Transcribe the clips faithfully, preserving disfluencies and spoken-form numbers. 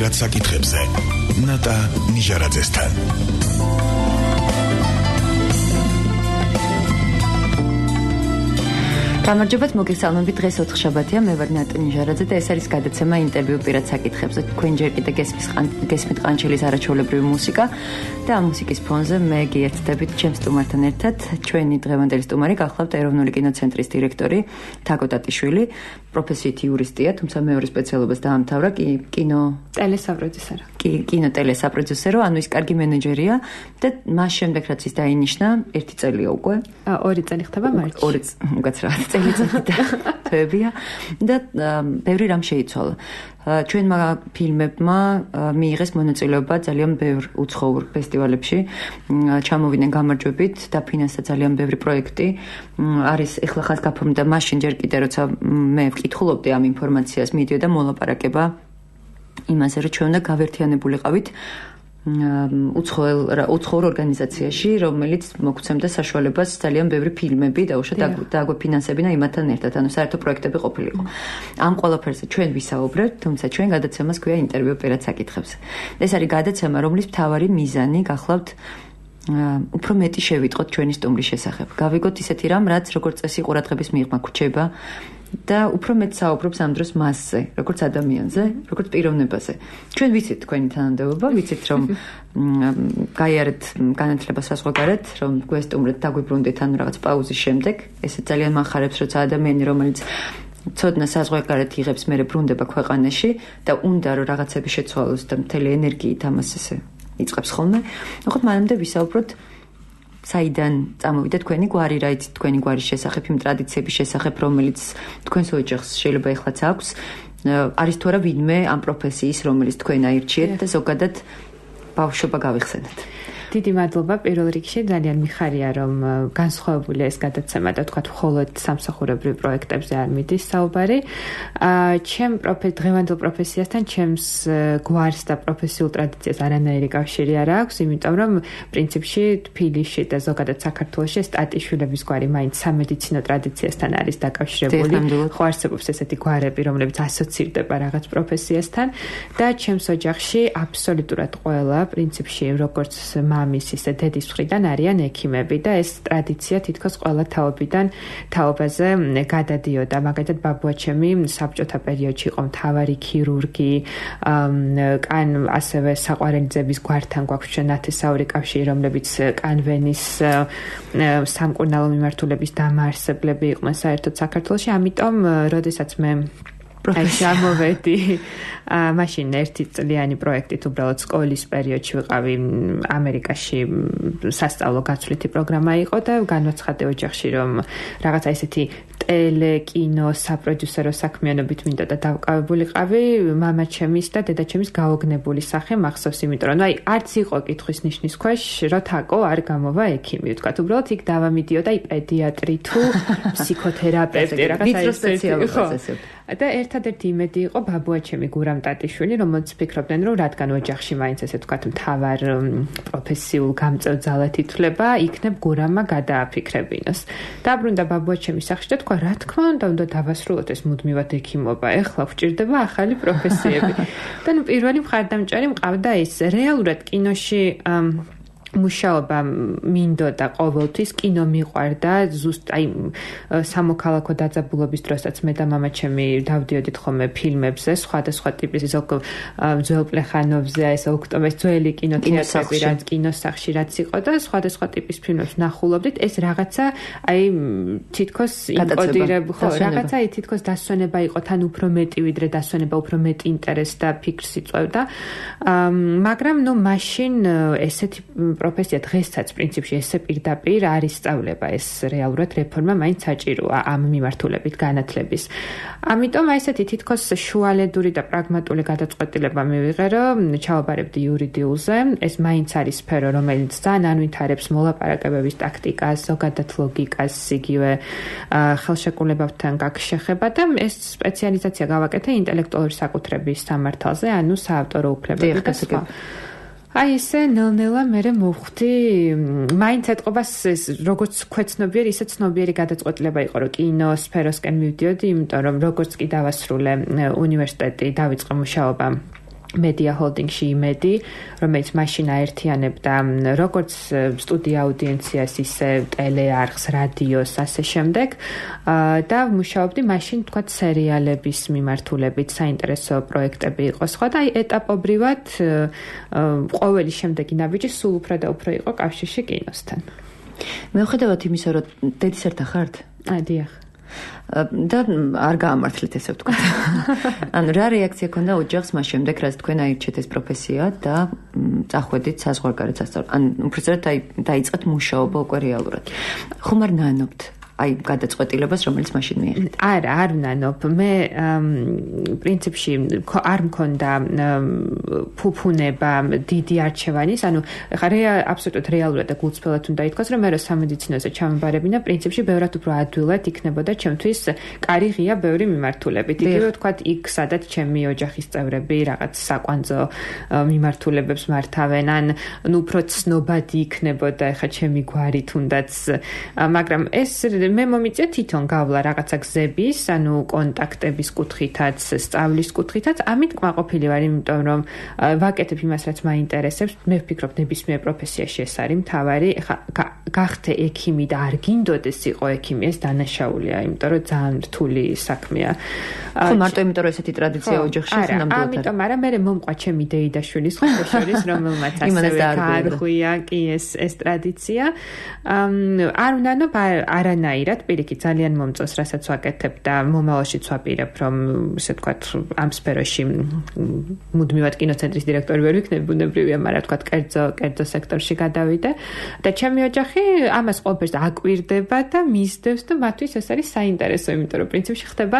პირად საკითხებზე ნატა ნიჟარაძესთან. გამარჯობათ, მოგესალმებით. დღეს ოთხშაბათია, მე ვარ ნატა ნიჟარაძე და ეს არის გადაცემა ინტერვიუ პირად საკითხებზე. თქვენ ჯერ კიდევ გესმით ყანჩელის არაჩვეულებრივი მუსიკა და ამ მუსიკის ფონზე მე გიერთდებით ჩემს სტუმართან ერთად. ჩვენი დღევანდელი სტუმარი გახლავთ ეროვნული კინოცენტრის დირექტორი თაკო ტატიშვილი, პროფესიით იურისტია, თუმცა მეორე სპეციალობას დაამთავრა კინო ტელესაპროდიუსერო. კინო ტელესაპროდიუსერო, ანუ ის კარგი მენეჯერია და მას შემდეგ რაც ის დაინიშნა, ერთი წელია უკვე. ორი წელი ხდება მარტში. ორი უკაცრავად წელი და თვეებია და ბევრი რამ შეიცვალა. ჩვენმა ფილმებმა მიიღეს მონაწილეობა ძალიან ბევრ უცხოურ ფესტივალებში, ჩამოვიდნენ გამარჯვებით და ფინანსდა ძალიან ბევრი პროექტი. არის ეხლა ხას გაფორმდა მაშინ ჯერ კიდე როცა მე ვკითხულობდი ამ ინფორმაციას, მიდიოდა მოლაპარაკება იმაზე, რომ ჩვენ უნდა გავერთიანებულიყავით უცხოელ უცხოურ ორგანიზაციაში, რომელიც მოგცემდა საშუალებას ძალიან ბევრი ფილმები დაუშვათ დაგვეფინანსებინა იმათთან ერთად, ანუ საერთო პროექტები ყოფილიყო. ამ ყველაფერზე ჩვენ ვისაუბრებთ, თუმცა ჩვენ გადაცემას ქვია ინტერვიუ პირად საკითხებზე. ეს არის გადაცემა, რომლის მთავარი მიზანი გახლავთ უფრო მეტი შევიტყოთ ჩვენი სტუმრის შესახებ. გავიგოთ ისეთი რამ, რაც როგორც წესი ყურადღების მიღმა გვჩება და უფრო მეტ საუბრობს ამ დროს მასზე, როგორც ადამიანზე, როგორც პიროვნებაზე. ჩვენ ვიცით თქვენი თანამდებობა, ვიცით რომ გაიარეთ განათლება საზღვარგარეთ, რომ გვესტუმრეთ, დაგვიბრუნდეთ ან რაღაც პაუზის შემდეგ. ესე ძალიან მახარებს, როცა ადამიანი, რომელიც ცოდნა საზღვარგარეთ იღებს, მერე ბრუნდება ქვეყანაში და უნდა რომ რაღაცები შეცვალოს და მთელი ენერგიით ამას ესე იწყებს ხოლმე. ნახოთ, მანამდე ვისაუბროთ საიდან წამოვიდა თქვენი გვარი, რა იცით თქვენი გვარის შესახებ, იმ ტრადიციების შესახებ, რომელიც თქვენს ოჯახს შეიძლება ეხლაც აქვს. არის თუ არა ვინმე ამ პროფესიის, რომელიც თქვენ აირჩიეთ და ზოგადად ბავშვობა გავიხსენეთ. დიდი მადლობა პირველ რიგში, ძალიან მიხარია რომ განსხვავებულია ეს გადაცემა და თქვა მხოლოდ სამსახურებრივ პროექტებზე არ მიდის საუბარი. ჩემ დღევანდელ პროფესიასთან ჩემს გვარს და პროფესიულ ტრადიციას არანაირი კავშირი არ აქვს, იმიტომ რომ პრინციპში თბილისში და ზოგადად საქართველოში ტატიშვილების გვარი მაინც სამედიცინო ტრადიციასთან არის დაკავშირებული. ხო არსებობს ესეთი გვარები, რომლებიც ასოცირდება რაღაც პროფესიასთან და ჩემს ოჯახში აბსოლუტურად ყველა პრინციპში როგორც მამის ისე დედის მხრიდან არიან ექიმები და ეს ტრადიცია თითქოს ყველა თაობიდან თაობაზე გადადიოდა. მაგალითად ბაბუაჩემი საბჭოთა პერიოდში იყო მთავარი ქირურგი, კან ასევე საყვარელიძების გვართან გვაქვს ნათესაური კავშირი, რომლებიც კანვენის სამკურნალო მიმართულების დამაარსებლები იყვნენ საერთოდ საქართველოში. ამიტომ როდესაც მე აი შემოვედი მაშინ ერთი წლიანი პროექტით უბრალოდ სკოლის პერიოდში ვიყავი ამერიკაში, სასწავლო გაცვლითი პროგრამა იყო და განვაცხადე ოჯახში რომ რაღაცა ისეთი ტელე, კინო, საპროდიუსერო საქმიანობით მინდა და დავკავებულიყავი. მამაჩემის და დედაჩემის გაოგნებული სახე მახსოვს, იმიტომ რომ აი არც იყო კითხვის ნიშნის ქვეშ, რომ თაკო არ გამოვა ექიმი, ვთქვათ, უბრალოდ იქ დავამიდიოდა აი პედიატრი თუ ფსიქოთერაპევტი, რაღაცა ისეთი. და ერთადერთი იმედი იყო ბაბუაჩემი გურამ ტატიშვილი, რომელიც ფიქრობდნენ, რომ რადგან ოჯახში მაინც ესე ვთქვათ მთავარ პროფესიულ გამწევ ძალად ითვლება, იქნებ გურამმა გადააფიქრებინოს. დაბრუნდა ბაბუაჩემის სახლში და თქვა, რა თქმა უნდა, უნდა დავასრულოთ ეს მუდმივად ექიმობა. ეხლა გვჭირდება ახალი პროფესიები. და ნუ პირველი მხარდამჭერი მყავდა ის. რეალურად კინოში მუშაობა მინდოდა ყოველთვის, კინო მიყვარდა, ზუსტ აი სამოქალაქო დაძაბულობის დროსაც მე და მამაჩემი დავდიოდით ხოლმე ფილმებზე, სხვადასხვა ტიპის ზოგ ძველ პლეხანოვზე, ეს ოქტომბრის ძველი კინოთეატრები, რაც კინოსახში რაც იყო და სხვადასხვა ტიპის ფილმებს ნახულობდით. ეს რაღაცა აი თითქოს იმპოდირებ, ხო, რაღაცა აი თითქოს დასვენება იყო, თან უფრო მეტი ვიდრე დასვენება, უფრო მეტი ინტერესს და ფიქრს იწვევდა. მაგრამ ნუ მაშინ ესეთი პროფესია დღესაც პრინციპში ესე პირდაპირ არის სწავლება, ეს რეალურად რეფორმა მაინც საჭიროა ამ მიმართულებით განათლების. ამიტომ აი ესეთი თითქოს შუალედური და პრაგმატული გადაწყვეტილება მივიღე, რომ ჩავაბარებდი იურიდიულზე. ეს მაინც არის სფერო, რომელიც ძალიან ანვითარებს მოლაპარაკებების ტაქტიკას, ზოგადად ლოგიკას, იგივე ხელშეკრულებებთან გაქვს შეხება და ეს სპეციალიზაცია გავაკეთე ინტელექტუალური საკუთრების სამართალზე, ანუ საავტორო უფლებები და სხვა. აი ესე ნელ-ნელა მე მოვხვდი, მაინც ეთყობას როგორც ქვეცნობიერი, ისე ცნობიერი გადაწყვეტილება იყო, რომ კინო სფეროსკენ მივდიოდი, იმიტომ რომ როგორც კი დავასრულე უნივერსიტეტი, დავიწყე მუშაობა Media Holding-ში იმედი, რომელიც მაშინ აერთიანებდა როგორც სტუდია აუდიენციას, ისე ტელეარხს, რადიოს, ასე შემდეგ. და მუშაობდი მაშინ თქვა სერიალების მიმართულებით, საინტერესო პროექტები იყო სხვა და აი ეტაპობრივად ყოველი შემდეგი ნაბიჯი სულ უფრო და უფრო იყო კავშირში კინოსთან. მეუხედავად იმისა, რომ დედის ერთა ხართ? აი, დიახ. და არ გაამართლეთ ესე ვთქვა. ანუ რა რეაქცია ქონდა ოჯახს მას შემდეგ, რაც თქვენ აირჩეთ ეს პროფესია და წახვედით საზღვარგარეთ სასწავლებლად. ან უბრალოდ დაიწყეთ მუშაობა უკვე რეალურად. ხომ არ ნანობთ აი გადაწყვეტილებას, რომელიც მაშინ მიიღეთ? არა, არ ვნანობ. მე პრინციპში არ მქონდა ფუფუნება დიდი არჩევანის, ანუ ხარია აბსოლუტურად რეალურად და გულწრფელად უნდა ითქვას, რომ მე რო სამედიცინოზე ჩამებარებინა, პრინციპში ბევრად უფრო ადვილად იქნებოდა ჩემთვის კარი ღია ბევრი მიმართულებით. იგივე ვთქვათ, იქ სადაც ჩემი ოჯახის წევრები რაღაც საკვანძო მიმართულებებს მართავენ, ან ნუ უფრო ცნობადი იქნებოდა ხა ჩემი გვარი თუნდაც, მაგრამ ეს მე მომიწია თვითონ გავლა რაღაცა გზების, ანუ კონტაქტების კუთხითაც, სწავლის კუთხითაც, ამით კმაყოფილი ვარ, იმიტომ რომ ვაკეთებ იმას, რაც მაინტერესებს. მე ვფიქრობ, ნებისმიერ პროფესიაში ეს არის მთავარი. ეხა გახდე ექიმი და არ გინდოდეს იყო ექიმი, ეს დანაშაულია, იმიტომ რომ ძალიან რთული საქმეა. ხო, მარტო იმიტომ რომ ესეთი ტრადიცია ოჯახში ნამდვილად არა, ამიტომ არა, მე მომყვა ჩემი დეიდაშვილის ხოლმე შორის, რომელმაც ასევე გაარღვია კი ეს ეს ტრადიცია. არ ვნანობ არანაირად პირიქით ძალიან მომწონს, რასაც ვაკეთებ და მომავალშიც ვაპირებ, რომ ესე ვთქვათ, ამ სფეროში მუდმივად კინოცენტრის დირექტორი ვერ ვიქნები, ბუნებრივია, მაგრამ ვთქვათ, კერძო კერძო სექტორში გადავიდე და ჩემი ოჯახი ამას ყველაფერს აკვირდება და მისდევს და მათთვის ეს არის საინტერესო, იმიტომ რომ პრინციპში ხდება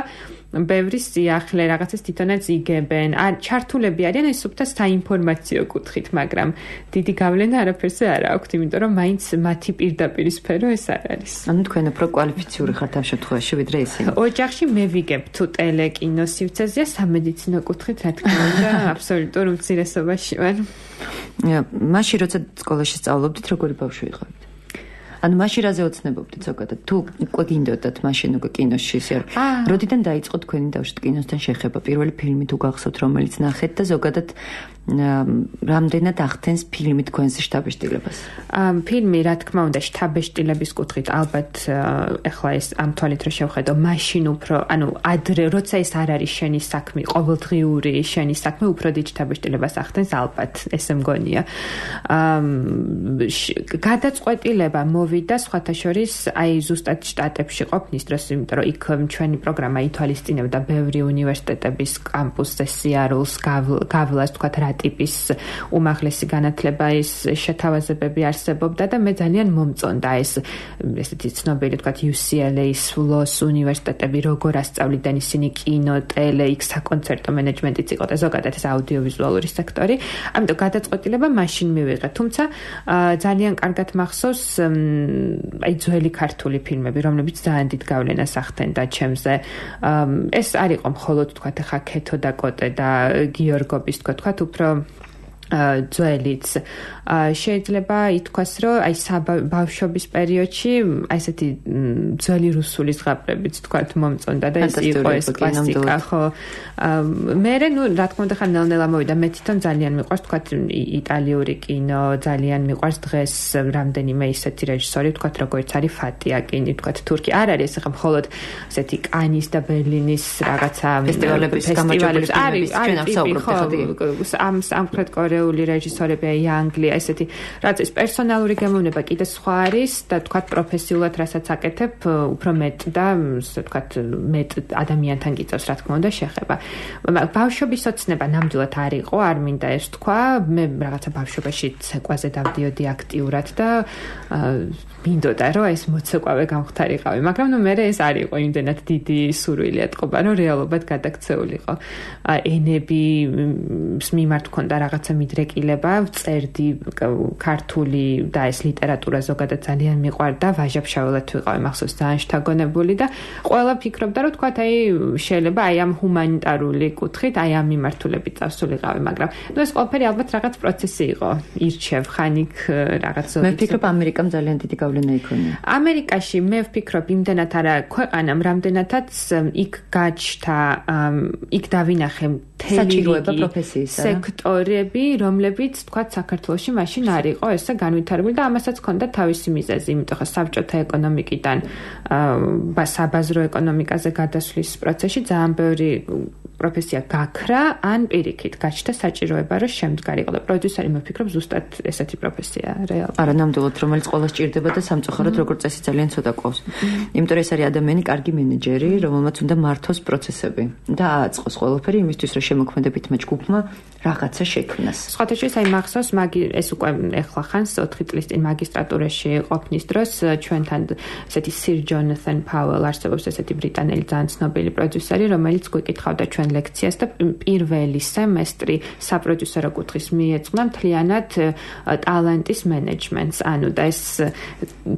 ბევრი სიახლე, რაღაცას თვითონაც იგებენ, ან ჩართულები არიან ეს სუფთა საინფორმაციო კუთხით, მაგრამ დიდი გავლენა არაფერზე არ აქვთ, იმიტომ რომ მაინც მათი პირდაპირ სფერო ეს არ არის. ანუ თქვენ უფრო კვალიფიციური ხართ ამ შემთხვევაში, ვიდრე ისინი. ოჯახში მე ვიგებ თუ ტელეკინო სივრცეზეა, სამედიცინო კუთხით, რა თქმა უნდა, აბსოლუტურ უმცირესობაში ვარ. მაშინ როცა სკოლაში სწავლობდით, როგორი ბავშვი იყავით? ანუ მაშინ რაზე ოცნებობდით ზოგადად? თუ უკვე გინდოდათ მაშინ უკვე კინოში ისე არ. როდიდან დაიწყო თქვენი დავშოთ კინოსთან შეხება? პირველი ფილმი თუ გახსოვთ, რომელიც ნახეთ და ზოგადად რამდენად ახდენს ფილმი თქვენს შთაბეჭდილებას? ფილმი, რა თქმა უნდა, შთაბეჭდილების კუთხით ალბათ ეხლა ეს ამ თვალით რო შევხედო, მაშინ უფრო, ანუ ადრე, როცა ეს არ არის შენი საქმე, ყოველდღიური შენი საქმე, უფრო დიდ შთაბეჭდილებას ახდენს ალბათ, ესე მგონია. გადაწყვეტილება მოვიდა სხვათა შორის, აი ზუსტად შტატებში ყოფნის დროს, იმიტომ რომ იქ ჩვენი პროგრამა ითვალისწინებდა ბევრი უნივერსიტეტების კამპუსზე სიარულს, გავლას, თქვათ, რა ტიპის უმაღლესი განათლება ის შეთავაზებები არსებობდა და მე ძალიან მომწონდა ეს ესეთი ცნობილი თქვათ იუ სი ელ ეის ფლოს უნივერსიტეტები როგორ ასწავლიდან ისინი კინო, ტელე, იქ საკონცერტო მენეჯმენტიც იყო და ზოგადად ეს აუდიოვიზუალური სექტორი. ამიტომ გადაწყვეტილება მაშინ მივიღე, თუმცა ძალიან კარგად მახსოვს აი ძველი ქართული ფილმები, რომლებიც ძალიან დიდ გავლენას ახდენდა ჩემზე. ეს არ იყო მხოლოდ თქვათ ხა ქეთო და კოტე და გიორგობის თქვათ თქვათ უფრო ძველიც შეიძლება ითქვას, რომ აი ბავშვობის პერიოდში აი ესეთი ძველი რუსული ზღაპრებიც თქვათ მომწონდა და ეს იყო ეს კლასიკა, ხო. მერე ნუ რა თქმა უნდა ხა ნელ-ნელა მოვიდა, მე თვითონ ძალიან მიყვარს თქვათ იტალიური კინო, ძალიან მიყვარს დღეს რამდენიმე ისეთი რეჟისორი თქვათ როგორც არის ფატიაკინი, თქვათ თურქი. არ არის ახლა მხოლოდ ესეთი კანის და ბერლინის რაღაცა ფესტივალების გამარჯვებული ფილმების ჩვენ აღსაუბრობთ ახლა ამ სამხრეთ კორეული რეჟისორები, აი ანგლია ესეთი, რაც ეს პერსონალური გემოვნება კიდე სხვა არის და თქვათ პროფესიულად რასაც აკეთებ, უფრო მეტ და ასე თქვათ მეტ ადამიანთან გიწევს რა თქმა უნდა შეხება. ბავშვობის ოცნება ნამდვილად არ იყო, არ მინდა ეს თქვა, მე რაღაცა ბავშვობაში ცეკვაზე დავდიოდი აქტიურად და მინდოდა რომ ეს მოცეკვავე გამختارიყავი, მაგრამ ნუ მე ეს არ იყო იმდენად დიდი სურვილი ატყობა, რომ რეალობად გადაქცეულიყო. ენები მიმართ მქონდა რაღაცა მიდრეკილება, წერდი ქართული და ეს ლიტერატურა ზოგადად ძალიან მიყვარდა, ვაჟაფშაველად ვიყავი, მახსოვს ძალიან შთაგონებული და ყველა ფიქრობდა რომ თქვათ აი შეიძლება აი ამ ჰუმანიტარული კუთხით, აი ამ მიმართულებით წავსულიყავი, მაგრამ ნუ ეს ყველაფერი ალბათ რაღაც პროცესი იყო. ირჩევ ხანიკ რაღაც ზოგი. მე ვფიქრობ ამერიკამ ძალიან დიდი გავლენა იქონია. ამერიკაში მე ვფიქრობ იმდენად არა ქვეყანამ, რამდენადაც იქ გაჩნდა, იქ დავინახე საჭიროება პროფესიისა სექტორები, რომლებიც თქვა საქართველოში მაშინ არ იყო ესე განვითარებული და ამასაც ჰქონდა თავისი მიზეზი, იმიტომ რომ საბჭოთა ეკონომიკიდან საბაზრო ეკონომიკაზე გადასვლის პროცესში ძალიან ბევრი პროფესია გაქრა, ან პირიქით გაჩნდა საჭიროება, რომ შემდგარიყო და პროდიუსერი მოფიქრობ ზუსტად ესეთი პროფესია რეალურად. არა, ნამდვილად, რომელიც ყოველს ჭირდება და სამწუხაროდ როგორც წესი ძალიან ცოტა ყავს. იმიტომ რომ ეს არის ადამიანი, კარგი მენეჯერი, რომელმაც უნდა მართოს პროცესები და ააწყოს ყველაფერი იმისთვის, რომ შემოქმედებითმა ჯგუფმა რაღაცა შექმნას. სხვათა შორის აი მახსოვს მაგი ეს უკვე ეხლა ხანს ოთხი წლის წინ მაგისტრატურაში ყოფნის დროს ჩვენთან ესეთი სირ ჯონათან პაუელ არსებობს ესეთი ბრიტანელი ძალიან ცნობილი პროდიუსერი, რომელიც გვიკითხავდა ჩვენ ლექციას და პირველი სემესტრი საპროდიუსერო კუთხის მიეძღვნა მთლიანად ტალენტის მენეჯმენტს. ანუ და ეს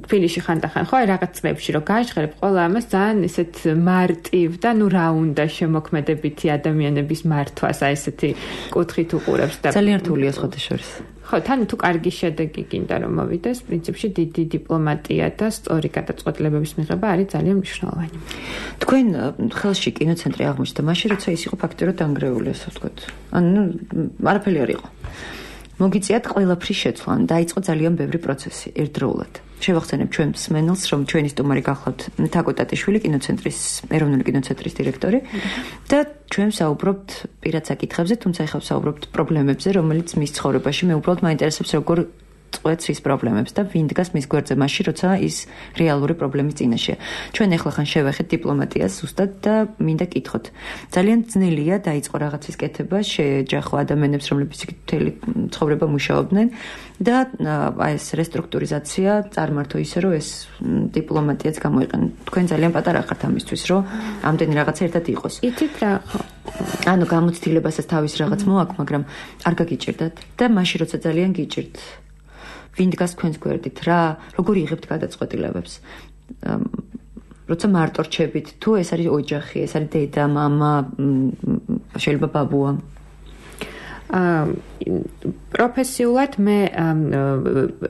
თბილისში ხანდახან ხო რაღაც წლებში რომ გაჟღერებ ყველა ამას ძალიან ისეთ მარტივ და ნუ რა უნდა შემოქმედებითი ადამიანების მართვას აი ესეთი კუთხით უყურებს და ძალიან რთულია სხვათა შორის. ხო, თან თუ კარგი შედეგი გინდა რომ მოვიდეს, პრინციპში დიდი დიპლომატია და სწორი გადაწყვეტილებების მიღება არის ძალიან მნიშვნელოვანი. თქვენ ხელში კინოცენტრი აღმოჩნდა მაშინ, როცა ის იყო ფაქტიურად დანგრეული, ასე ვთქვათ. ანუ არაფერი არ იყო. მოგიწიათ ყველაფრის შეცვლა, დაიწყო ძალიან ბევრი პროცესი ერთდროულად. შევახსენებ ჩვენ მსმენელს, რომ ჩვენი სტუმარი გახლავთ თაკო ტატიშვილი, კინოცენტრის, ეროვნული კინოცენტრის დირექტორი და ჩვენ საუბრობთ პირად საკითხებზე, თუმცა ახლა საუბრობთ პრობლემებზე, რომელიც მის ცხოვრებაში მე უბრალოდ მაინტერესებს როგორ წყვეტს ის პრობლემებს და ვინ დგას მის გვერდზე მაშინ, როცა ის რეალური პრობლემის წინაშეა. ჩვენ ახლა ხან შევეხეთ დიპლომატიას ზუსტად და მინდა კითხოთ. ძალიან ძნელია დაიწყო რაღაცის კეთება, შეეჯახო ადამიანებს, რომლებიც მთელი ცხოვრება მუშაობდნენ და აი ეს რესტრუქტურიზაცია წარმართო ისე, რომ ეს დიპლომატიაც გამოიყენო. თქვენ ძალიან პატარა ხართ ამისთვის, რომ ამდენი რაღაცა ერთად იყოს. იცით რა ხო? ანუ გამოცდილებასაც თავის რაღაც მოაქვს, მაგრამ არ გაგიჭირდათ და მაშინ როცა ძალიან გიჭირთ ვინ დგას თქვენს გვერდით, რა, როგორ იღებთ გადაწყვეტილებებს? როცა მარტო რჩებით, თუ ეს არის ოჯახი, ეს არის დედა, მამა, შეიძლება ბაბუა. პროფესიულად მე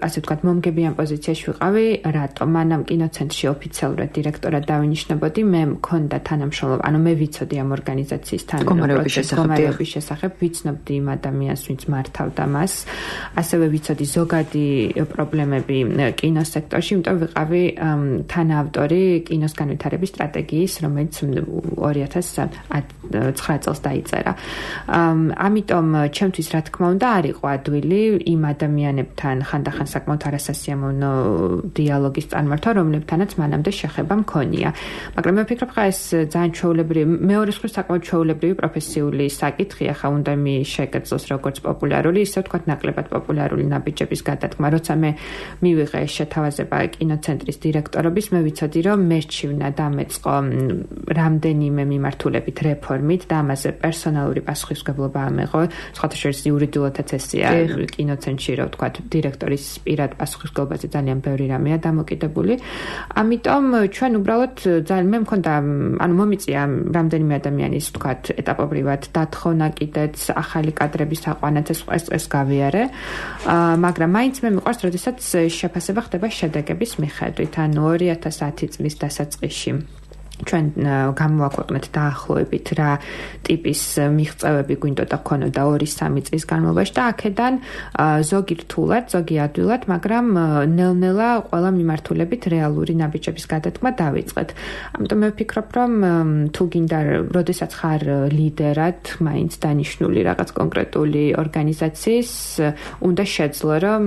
ასე ვთქვათ მომგებიან პოზიციაში ვიყავი, რატომ მანამ კინოცენტრში ოფიციალურად დირექტორად დავინიშნებოდი, მე მქონდა თანამშრომლობა, ანუ მე ვიცოდი ამ ორგანიზაციის თანამშრომლობის შესახებ, ვიცნობდი იმ ადამიანს, ვინც მართავდა მას, ასევე ვიცოდი ზოგადი პრობლემები კინოსექტორში, იმიტომ ვიყავი თანაავტორი კინოს განვითარების სტრატეგიის, რომელიც ორი ათას ცხრა წელს დაიწერა. ამიტომ ჩემთვის რა თქმა უნდა არ იყო ადვილი იმ ადამიანებთან ხანდახან საკმაოდ არასასიამოვნო დიალოგის წარმართვა, რომლებთანაც მანამდე შეხება მქონია. მაგრამ მე ვფიქრობ, ხა ეს ძალიან ჩვეულებრივი, მეორე მხრივ საკმაოდ ჩვეულებრივი პროფესიული საკითხია, ხა უნდა მიშეკეცოს როგორც პოპულარული, ისე ვთქვათ ნაკლებად პოპულარული ნაბიჯების გადადგმა. როცა მე მივიღე შეთავაზება კინოცენტრის დირექტორობის, მე ვიცოდი, რომ მერჩივნა დამეწყო რამდენიმე მიმართულებით რეფორმით და ამაზე პერსონალური პასუხისმგებლობა ამეღო. სხვათა შორის იურიდიულადაც ესეა კინოცენტრში, რა ვთქვათ, დირექტორის პირად პასუხისმგებლობაზე ძალიან ბევრი რამეა დამოკიდებული. ამიტომ ჩვენ უბრალოდ ძალიან მე მქონდა, ანუ მომიწია რამდენიმე ადამიანის, ვთქვათ, ეტაპობრივად დათხოვნა კიდეც ახალი კადრების აყვანაც ეს ეს გავიარე. მაგრამ მაინც მე მიყვარს, როდესაც შეფასება ხდება შედეგების მიხედვით, ანუ ორი ათას ათი წლის დასაწყისში. ჩვენ გამოვაქვეყნეთ დაახლოებით რა ტიპის მიღწევები გვინდოდა ქონოდა ორი სამი წლის განმავლობაში და აქედან ზოგი რთულად, ზოგი ადვილად, მაგრამ ნელ-ნელა ყველა მიმართულებით რეალური ნაბიჯების გადადგმა დავიწყეთ. ამიტომ მე ვფიქრობ, რომ თუ გინდა, როდესაც ხარ ლიდერად, მაინც დანიშნული რაღაც კონკრეტული ორგანიზაციის, უნდა შეძლო, რომ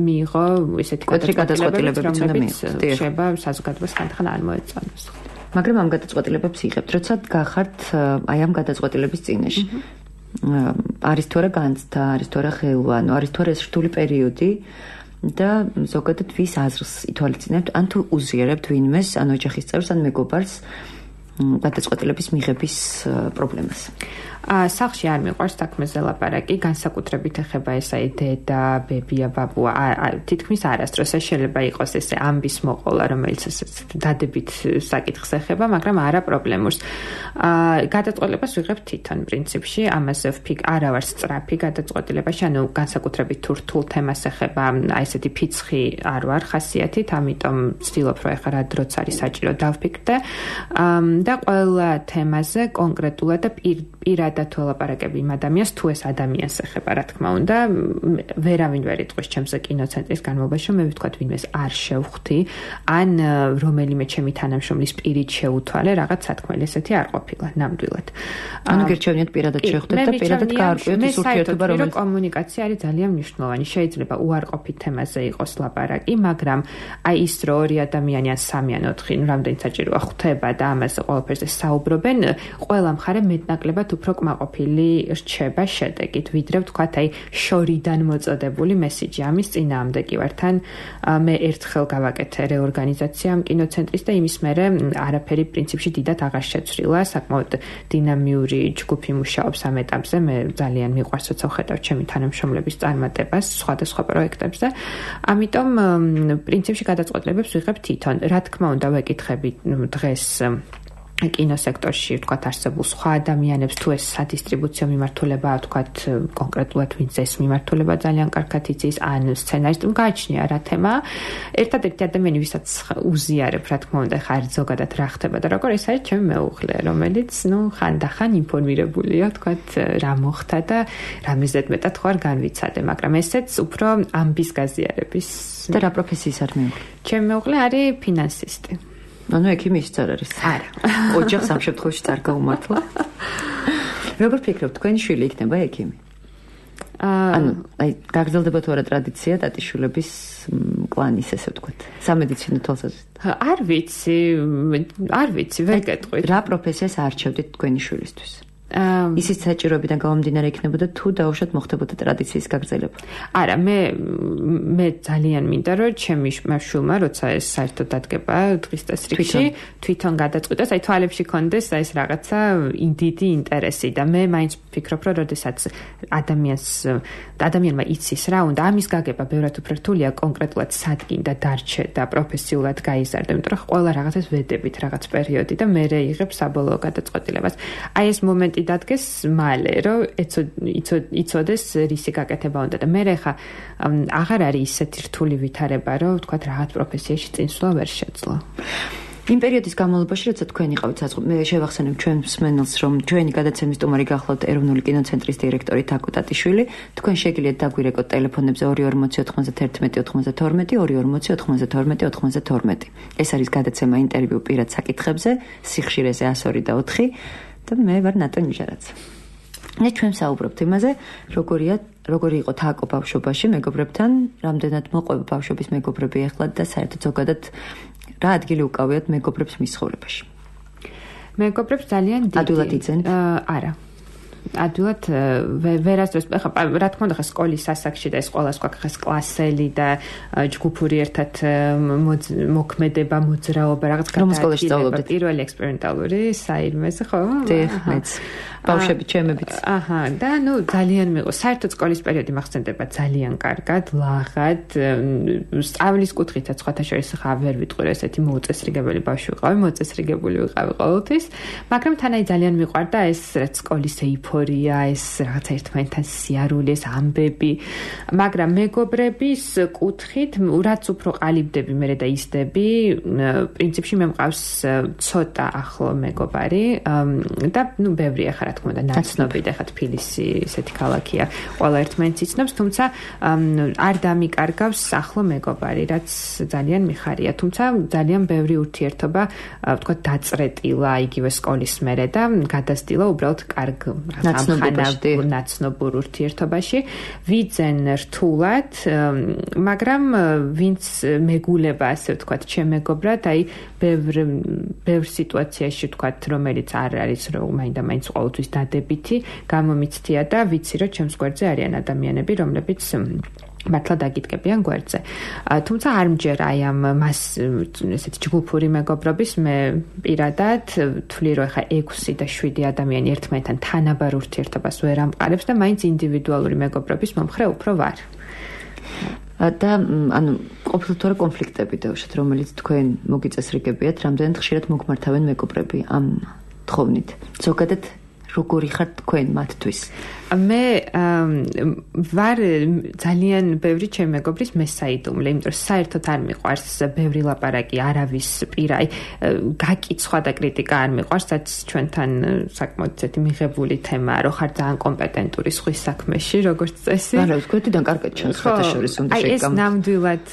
მიიღო ესეთი გადაწყვეტილებები, რომლებიც შეიძლება საზოგადოებას ხანდახან არ მოეწონოს. მაგრამ ამ გადაწყვეტილებებს იღებთ, როცა გახართ აი ამ გადაწყვეტილების წინაშე. არის თუ არა განცდა, არის თუ არა ხეილვა, ანუ არის თუ არა ეს რთული პერიოდი და ზოგადად ვის აზრს ითვალისწინებთ, ან თუ უზიარებთ ვინმეს, ან ოჯახის წევრს, ან მეგობარს გადაწყვეტილების მიღების პრობლემას. სახლში არ მიყვარს საქმეზე ლაპარაკი, განსაკუთრებით ეხება ეს აი დედა, ბებია, ბაბუა, თითქმის არასდროს შეიძლება იყოს ესე ამბის მოყოლა, რომელიც ესე დადებით საკითხს ეხება, მაგრამ არა პრობლემურს. გადაწყვეტილებას ვიღებთ თვითონ პრინციპში, ამაზე ვფიქრ, არა ვარ სწრაფი გადაწყვეტილებაში, ანუ განსაკუთრებით თუ რთულ თემას ეხება, აი ესეთი ფიცხი არ ვარ ხასიათით, ამიტომ ვცდილობ, რომ ეხლა რა დროც არის საჭირო დავფიქრდე და ყველა თემაზე კონკრეტულად და პირად პირადად ველაპარაკები იმ ადამიანს, თუ ეს ადამიანს ეხება, რა თქმა უნდა, ვერავინ ვერ იტყვის ჩემზე კინოცენტრის განმავლობაში, რომ მე ვთქვათ ვინმეს არ შევხვდი, ან რომელიმე ჩემი თანამშრომლის პირით შეუთვალე, რაღაც სათქმელი ესეთი არ ყოფილა, ნამდვილად. ანუ გერჩევინეთ პირადად შევხვდეთ და პირადად გაარკვიოთ ის ურთიერთობა, რომელიც კომუნიკაცია არის ძალიან მნიშვნელოვანი. შეიძლება უარყოფით თემაზე იყოს ლაპარაკი, მაგრამ აი ის რო ორი ადამიანი ან სამი ან ოთხი, ну რამდენი საჭიროა ხვდება და ამაზე ყველაფერზე საუბრობენ, ყველა მხარე მეტნაკლებად უფრო კმაყოფილი რჩება შედეგით, ვიდრე ვთქვათ აი შორიდან მოწოდებული მესიჯი. ამის წინააღმდეგ კი ვარ თან მე ერთხელ გავაკეთე რეორგანიზაცია ამ კინოცენტრის და იმის მერე არაფერი პრინციპში დიდად აღარ შეცვლილა, საკმაოდ დინამიური ჯგუფი მუშაობს ამ ეტაპზე. მე ძალიან მიყვარს როცა ვხედავ ჩემი თანამშრომლების წარმატებას სხვადასხვა პროექტებზე. ამიტომ პრინციპში გადაწყვეტილებებს ვიღებ თვითონ. რა თქმა უნდა, ვეკითხები დღეს კინოსექტორში ვთქვათ არსებულ სხვა ადამიანებს, თუ ეს სადისტრიბუციო მიმართულებაა, ვთქვათ კონკრეტულად ვინც ეს მიმართულება ძალიან კარგად იცის, ან სცენარისტი გააჩნია რა თემა. ერთადერთი ადამიანი, ვისაც უზიარებ, რა თქმა უნდა, ხარ ზოგადად რა ხდება და როგორ, ეს არის ჩემი მეუღლე, რომელიც, ну, ხანდახან ინფორმირებულია, ვთქვათ, რა მოხდა და რა მიზეთ მეტად ხარ განვიცადე, მაგრამ ესეც უფრო ამბის გაზიარების. და რა პროფესიის არის მეუღლე? ჩემი მეუღლე არის ფინანსისტი. ანუ ექიმის არ არის. არა. ოჯახს ამ შემთხვევაში წარ გაუმართლა. როგორ ფიქრობთ, თქვენი შვილი იქნება ექიმი? ანუ აი გაგრძელდება თუ არა ტრადიცია ტატიშვილების კლანის, ესე ვთქვათ, სამედიცინო თვალსაზრისით? არ ვიცი, არ ვიცი, ვერ გეტყვით. რა პროფესიას არჩევდით თქვენი შვილისთვის? ისიც საჭიროებიდან გამომდინარე იქნებოდა თუ დაუშვათ მოხდებოდა ტრადიციის გაგრძელება? არა, მე მე ძალიან მინდა რომ ჩემი შვილმა, როცა ეს საერთოდ დადგება დღის წესრიგში, თვითონ გადაწყვიტოს, აი თვალებში კონდეს ეს რაღაცა დიდი ინტერესი და მე მაინც ვფიქრობ, რომ როდესაც ადამიანს ადამიანმა იცის რა უნდა, ამის გაგება ბევრად უფრო რთულია კონკრეტულად სადგინდა დარჩე და პროფესიულად გაიზარდე, იმიტომ რომ ყველა რაღაცას ვედებით რაღაც პერიოდი და მე იღებ საბოლოო გადაწყვეტილებას. აი ეს მომენტი დადგეს მალე, რომ იცოდეს რისი გაკეთება უნდა და მე ხა აღარ არის ისეთი რთული ვითარება, რომ ვთქვათ რაღაც პროფესიაში წინსვლა ვერ შეძლო. იმ პერიოდის განმავლობაში, როცა თქვენ იყავით საზღვრები, მე შევახსენებ ჩვენს მსმენელს, რომ ჩვენი გადაცემის სტუმარი გახლავთ ეროვნული კინოცენტრის დირექტორი თაკო ტატიშვილი. თქვენ შეგიძლიათ დაგვირეკოთ ტელეფონებზე ორი ორმოცი ოთხმოცდათერთმეტი ოთხმოცდათორმეტი, ორი ორმოცი ოთხმოცდათორმეტი ოთხმოცდათორმეტი. ეს არის გადაცემა ინტერვიუ პირად საკითხებზე, სიხშირეზე ას ორი და ოთხი. და მე ვარ ნატო ნიჟარაძე. მე ჩვენ საუბრობთ იმაზე, როგორია, როგორი იყო თაკო ბავშვობაში მეგობრებთან, რამდენად მოყვება ბავშვობის მეგობრები ეხლა და საერთოდ ზოგადად რა ადგილი უკავიათ მეგობრებს მის ცხოვრებაში? მეგობრებს ძალიან დიდი. ადვილად იცენთ? არა. ადვილად ვერასდროს ხა რა თქმა უნდა ხა სკოლის სასაკში და ეს ყველა სხვა ხა კლასელი და ჯგუფური ერთად მოქმედება, მოძრაობა, რაღაც გადაადგილება, პირველი ექსპერიმენტალური საირმეზე, ხო? დიახ, მეც. ბავშვები ჩემებიც. აჰა, და ნუ ძალიან მიყვარს. საერთოდ სკოლის პერიოდი მახსენდება ძალიან კარგად, ლაღად, სწავლის კუთხითაც სხვათა შორის ხა ვერ ვიტყვი ესეთი მოუწესრიგებელი ბავშვი ვიყავი, მოწესრიგებული ვიყავი ყოველთვის, მაგრამ თან აი ძალიან მიყვარდა ეს რაც სკოლის ეიფორია, ეს რაღაცა ერთმანეთთან სიარული, ეს ამბები, მაგრამ მეგობრების კუთხით, რაც უფრო ყალიბდები მე და იზდები, პრინციპში მე მყავს ცოტა ახლო მეგობარი და ნუ ბევრია ხა რა თქმა უნდა ნაცნობი და ხა თბილისი ესეთი ქალაქია, ყველა ერთმანეთს იცნობს, თუმცა არ დამიკარგავს ახლო მეგობარი, რაც ძალიან მიხარია, თუმცა ძალიან ბევრი ურთიერთობა, ვთქვათ, დაწრეტილა იგივე სკოლის მერე და გადასტილა უბრალოდ კარგ ნაცნობურ ურთიერთობაში, ვიძენ რთულად, მაგრამ ვინც მეგულება, ასე ვთქვათ, ჩემეგობრად, აი ბევრ ბევრ სიტუაციაში ვთქვათ, რომელიც არ არის რომ მაინდა მაინც ყოველთვის დადებითი, გამომიცდია და ვიცი რომ ჩემს გვერდზე არიან ადამიანები, რომლებიც მართლა დაგიდგებიან გვერდზე. თუმცა არ მჯერ აი ამ მას ესეთი ჯგუფური მეგობრობის მე პირადად ვთვლი რომ ხა ექვსი და შვიდი ადამიანი ერთმანეთთან თანაბარ ურთიერთობას ვერ ამყარებს და მაინც ინდივიდუალური მეგობრობის მომხრე უფრო ვარ. და ანუ ყოფილთ რა კონფლიქტები დაუშვათ, რომელიც თქვენ მოგიწესრიგებიათ, რამდენად ხშირად მოგმართავენ მეგობრები ამ თხოვნით. ზოგადად როგორი ხართ თქვენ მათთვის? მე ვარ ძალიან ბევრი ჩემი მეგობრის მესაიდუმლე, იმიტომ რომ საერთოდ არ მიყვარს ბევრი ლაპარაკი, არავის პირა, აი გაკიცხვა და კრიტიკა არ მიყვარს, რაც ჩვენთან საკმაოდ ცეთი მიღებული თემაა, რომ ხარ ძალიან კომპეტენტური სხვის საქმეში, როგორც წესი. არა, ვთქვეთიდან კარგად ჩანს ხათაშორის უნდა აი ეს შეგამ. ნამდვილად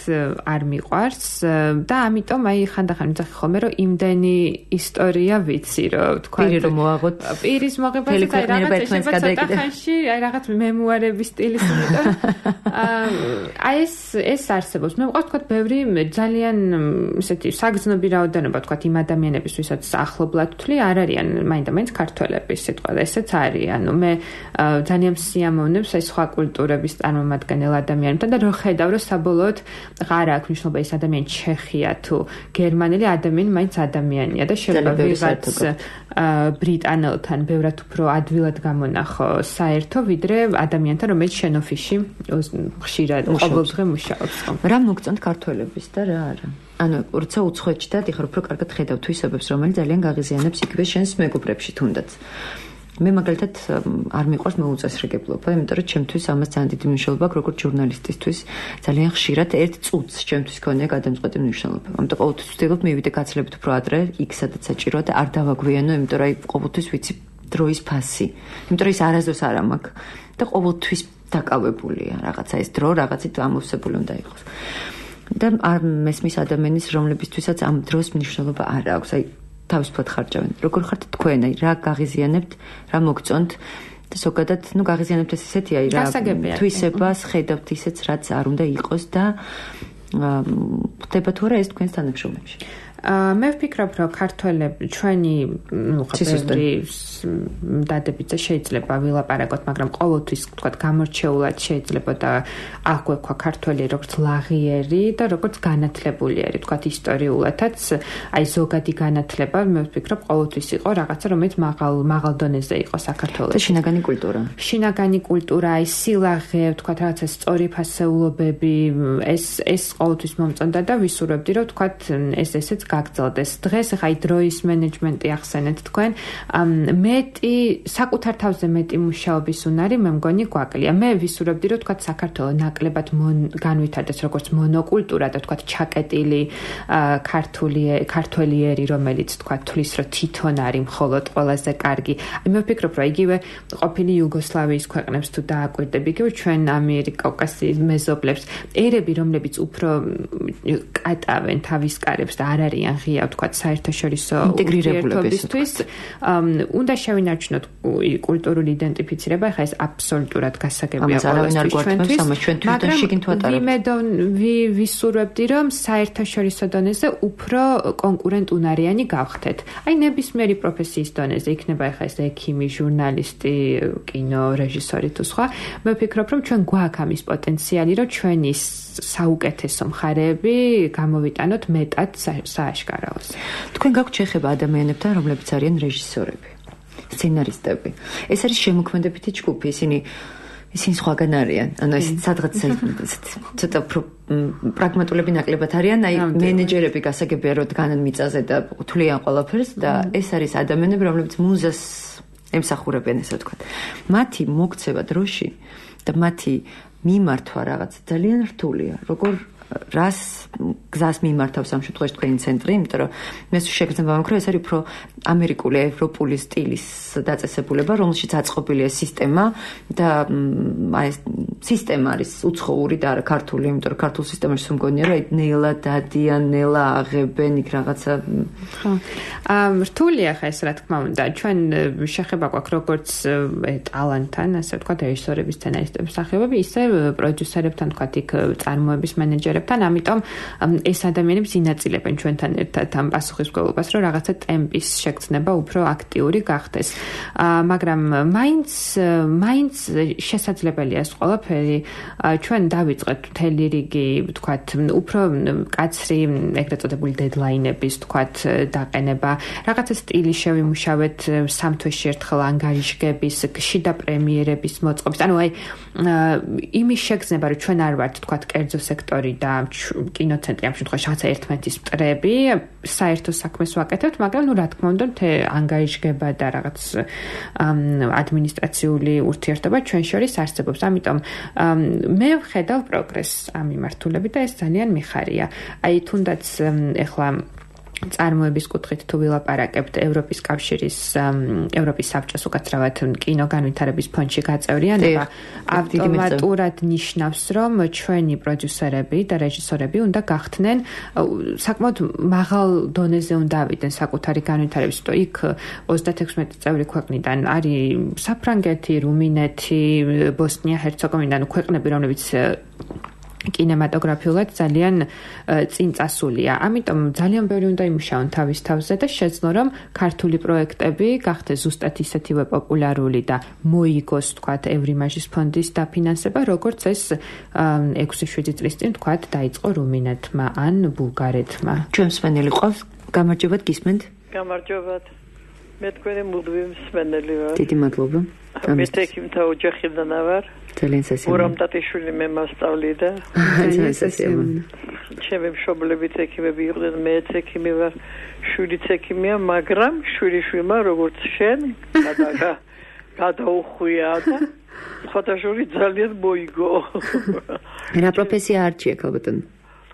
არ მიყვარს და ამიტომ აი ხანდახან ვიძახი ხოლმე, რომ იმდენი ისტორია ვიცი, რომ თქვა პირი რომ მოაღოთ. პირის მოღებასაც აი რაღაც შეიძლება ცოტა ხანში აი რაღაც მემუარების სტილის იმიტომ აი ეს ეს არსებობს. მე მყავს თქვა ბევრი ძალიან ისეთი საგრძნობი რაოდენობა თქვა იმ ადამიანების, ვისაც ახლობლად ვთვლი, არ არიან მაინდა-მაინც ქართველები სიტყვა და ესეც არის. ანუ მე ძალიან სიამოვნებს აი სხვა კულტურების წარმომადგენელ ადამიანებთან და რო ხედავ, რომ საბოლოოდ აღარ აქვს მნიშვნელობა ეს ადამიანი ჩეხია თუ გერმანელი, ადამიანი მაინც ადამიანია და შეიძლება ვიღაც ბრიტანელთან ბევრად უფრო ადვილად გამონახო საერთო ვიდრე ადამიანთან, რომელიც შენოფისში ხშირად ყოველდღე მუშაობს. რა მოგწონთ ქართველების და რა არა? ანუ როცა უცხოეთში და ეხლა უფრო კარგად ხედავ თვისებებს, რომელიც ძალიან გაღიზიანებს იგივე შენს მეგობრებში თუნდაც. მე მაგალითად არ მიყვარს მოუწესრიგებლობა, იმიტომ რომ ჩემთვის ამას ძალიან დიდი მნიშვნელობა აქვს, როგორც ჟურნალისტისთვის, ძალიან ხშირად ერთ წუთს ჩემთვის ქონია გადამწყვეტი მნიშვნელობა. ამიტომ ყოველთვის ვცდილობ მივიდე გაცილებით უფრო ადრე, იქ სადაც საჭიროა და არ დავაგვიანო, იმიტომ რომ აი ყოველთვის ვიცი დროის ფასი. იმიტომ რომ ის არასდროს არ მაქვს და ყოველთვის დაკავებულია რაღაცა ეს დრო რაღაცით ამოვსებული უნდა იყოს. და არ მესმის ადამიანის, რომლებისთვისაც ამ დროს მნიშვნელობა არ აქვს. აი თავისუფლად ხარჯავენ. როგორ ხართ თქვენ, აი რა გაღიზიანებთ, რა მოგწონთ და ზოგადად, ну გაღიზიანებთ ეს ისეთი, აი რა თვისებას ხედავთ ისეც, რაც არ უნდა იყოს და ხდება თუ არა ეს თქვენს თანამშრომლებში. მე ვფიქრობ, რომ ქართველები ჩვენი ნუ ხაბერი დადებითზე შეიძლება ვილაპარაკოთ, მაგრამ ყოველთვის თქვა გამორჩეულად შეიძლება და აქ გვექვა ქართველი როგორც ლაღიერი და როგორც განათლებულიერი, თქვა ისტორიულადაც, აი ზოგადი განათლება, მე ვფიქრობ, ყოველთვის იყო რაღაცა, რომელიც მაღალ მაღალ დონეზე იყო საქართველოში. და შინაგანი კულტურა. შინაგანი კულტურა, აი სილაღე, თქვა რაღაცა სწორი ფასეულობები, ეს ეს ყოველთვის მომწონდა და ვისურვებდი, რომ თქვა ეს ესეც გაგრძელდეს. დღეს ახლა აი დროის მენეჯმენტი ახსენეთ თქვენ, მეტი საკუთარ თავზე მეტი მუშაობის უნარი მე მგონი გვაკლია. მე ვისურვებდი, რომ თქვა საქართველოს ნაკლებად განვითარდეს როგორც მონოკულტურა და თქვა ჩაკეტილი ქართული ქართველიერი, რომელიც თქვა თulis რომ თვითონ არის მხოლოდ ყველაზე კარგი. აი მე ვფიქრობ, რომ იგივე ყოფილი იუგოსლავიის ქვეყნებს თუ დააკვირდები, იგივე ჩვენ ამიერკავკასიის მეზობლებს, ერები, რომლებიც უფრო კატავენ თავის კარებს და არ არიან ღია, თქვა საერთაშორისო ურთიერთობისთვის, უნდა შევინარჩუნოთ კულტურული იდენტიფიცირება, ახლა ეს აბსოლუტურად გასაგებია ყველასთვის, მაგრამ ვიმედონ ვისურვებდი, რომ საერთაშორისო დონეზე უფრო კონკურენტუნარიანი გავხდეთ. აი ნებისმიერი პროფესიის დონეზე, იქნება ახლა ეს ექიმი, ჟურნალისტი, კინო რეჟისორი თუ სხვა, მე ვფიქრობ, რომ ჩვენ გვაქვს ამის პოტენციალი, რომ ჩვენი საუკეთესო მხარეები გამოვიტანოთ მეტად სააშკარაოს. თქვენ გაქვთ შეხება ადამიანებთან, რომლებიც არიან რეჟისორები, სცენარისტები. ეს არის შემოქმედებითი ჯგუფი, ისინი ისინი სხვაგან არიან. ანუ ეს სადღაც ცოტა პრაგმატულები ნაკლებად არიან, აი მენეჯერები გასაგებია, რომ დგანან მიწაზე და თვლიან ყველაფერს და ეს არის ადამიანები, რომლებიც მუზას ემსახურებიან, ესე ვთქვათ. მათი მოქცევა დროში და მათი მიმართვა რაღაც ძალიან რთულია. როგორ რას გზას მიმართავს ამ შემთხვევაში თქვენი ცენტრი, იმიტომ რომ მე შეგრძნება მაქვს, რომ ეს არის უფრო ამერიკული, ევროპული სტილის დაწესებულება, რომელშიც აწყობილია სისტემა და აი ეს სისტემა არის უცხოური და არა ქართული, იმიტომ რომ ქართულ სისტემაში მგონია, რომ ნელა დადიან, ნელა აღებენ იქ რაღაცა. ხო. ამ რთულია ხა ეს რა თქმა უნდა. ჩვენ შეხება გვაქვს როგორც ტალანტთან, ასე ვთქვათ, რეჟისორების, სცენარისტების სახეობები, ისე პროდიუსერებთან, ვთქვათ, იქ წარმოების მენეჯერებთან, ამიტომ ეს ადამიანები ინაწილებენ ჩვენთან ერთად ამ პასუხისმგებლობას, რომ რაღაცა ტემპის შეგრძნება უფრო აქტიური გახდეს. მაგრამ მაინც მაინც შესაძლებელია ეს ყველაფერი. ჩვენ დავიწყეთ მთელი რიგი, ვთქვათ, უფრო კაცრი, ეგრეთ წოდებული დედლაინების, ვთქვათ, დაყენება, რაღაცა სტილი შევიმუშავეთ სამ თვეში ერთხელ ანგარიშგების, შიდა პრემიერების მოწყობის. ანუ აი იმის შეგრძნება, რომ ჩვენ არ ვართ, თქვათ, კერძო სექტორი და კინოცენტრი ამ შემთხვევაში რაღაცა ერთმანეთის მტრები, საერთო საქმეს ვაკეთებთ, მაგრამ ნუ რა თქმა უნდა, თე ანგარიშგება და რაღაც ადმინისტრაციული ურთიერთობა ჩვენ შორის არსებობს. ამიტომ მე ვხედავ პროგრესს ამ მიმართულებით და ეს ძალიან მიხარია. აი თუნდაც ეხლა წარმოების კუთხით თუ ვილაპარაკებთ ევროპის კავშირის ევროპის საბჭოს უკაცრავად კინოგანვითარების ფონდში გაწევრიანება ავტომატურად ნიშნავს რომ ჩვენი პროდიუსერები და რეჟისორები უნდა გახდნენ საკმაოდ მაღალ დონეზე უნდა ავიდნენ საკუთარი განვითარების, იმიტომ იქ ოცდათექვსმეტი წევრი ქვეყნიდან არის საფრანგეთი, რუმინეთი, ბოსნია, ჰერცეგოვინა, ანუ ქვეყნები რომლებიც კინემატოგრაფიულად ძალიან წინ წასულია. ამიტომ ძალიან ბევრი უნდა იმუშაონ თავის თავზე და შეძლო რომ ქართული პროექტები გახდეს ზუსტად ისეთივე პოპულარული და მოიგოს თქვათ ევრიმაჟის ფონდის დაფინანსება, როგორც ეს ექვსი შვიდი წლის წინ თქვათ დაიწყო რუმინეთმა ან ბულგარეთმა. ჩვენ მსმენელი ყავს, გამარჯობათ, გისმენთ? გამარჯობათ. მე თქვენი მუდმივი მსმენელი ვარ. დიდი მადლობა. მე თექიმთა ოჯახიდან ვარ. ძალიან სასიამოვნო. მურამ ტატიშვილი მე მასწავლი და ძალიან სასიამოვნო. ჩემი მშობლები თექიმები იყვნენ, მე თექიმი ვარ, შვილი თექიმია, მაგრამ შვილიშვილმა როგორც შენ გადაგა გადაუხვია და ხოთაშური ძალიან მოიგო. რა პროფესია არჩია ქალბატონო?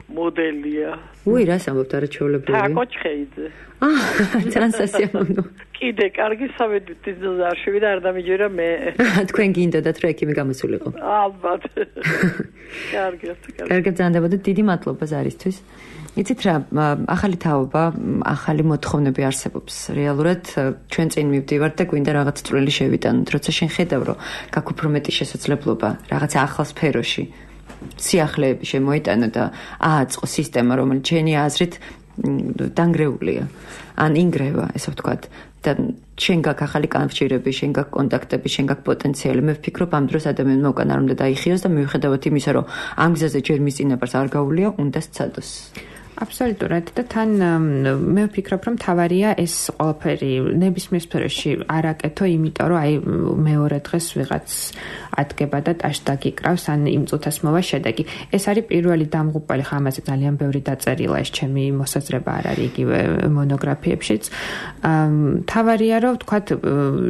მოდელია. უი, რას ამბობთ არაჩვეულებრივი? თაკოჩხეიძე. აა, ძალიან სასიამოვნო. კიდე კარგი სამედიცინო დიზაინერი და არ დამიჯერა მე. თქვენ გინდოდათ რომ ექიმი გამოსულიყო? ალბათ. კარგია, კარგი. კარგად ზანდებოდეთ, დიდი მადლობა ზარისთვის. იცით რა, ახალი თაობა, ახალი მოთხოვნები არსებობს. რეალურად ჩვენ წინ მივდივართ და გვინდა რაღაც წვლილი შევიტანოთ, როცა შენ ხედავ რომ გაქვს უფრო მეტი შესაძლებლობა რაღაცა ახალ სფეროში სიახლეები შემოიტანო და ააწყო სისტემა, რომელიც შენი აზრით დანგრეულია, ან ინგრევა, ესე ვთქვათ, და შენ გაქვს ახალი კავშირები, შენ გაქვს კონტაქტები, შენ გაქვს პოტენციალი. მე ვფიქრობ, ამ დროს ადამიანმა უკან არ უნდა დაიხიოს და მიუხედავად იმისა, რომ ამ გზაზე ჯერ მის წინაპარს არ გაუვლია, უნდა სცადოს. აბსოლუტურად და თან მე ვფიქრობ რომ თავარია ეს ყველაფერი ნებისმიერ სფეროში არ აკეთო, იმიტომ რომ აი მეორე დღეს ვიღაც ადგება და ტაშს დაგიკრავს ან იმ წუთას მოვა შედეგი. ეს არის პირველი დამღუპველი, ხა ამაზე ძალიან ბევრი დაწერილა, ეს ჩემი მოსაზრება არ არის იგივე მონოგრაფიებშიც. თავარია რომ ვთქვათ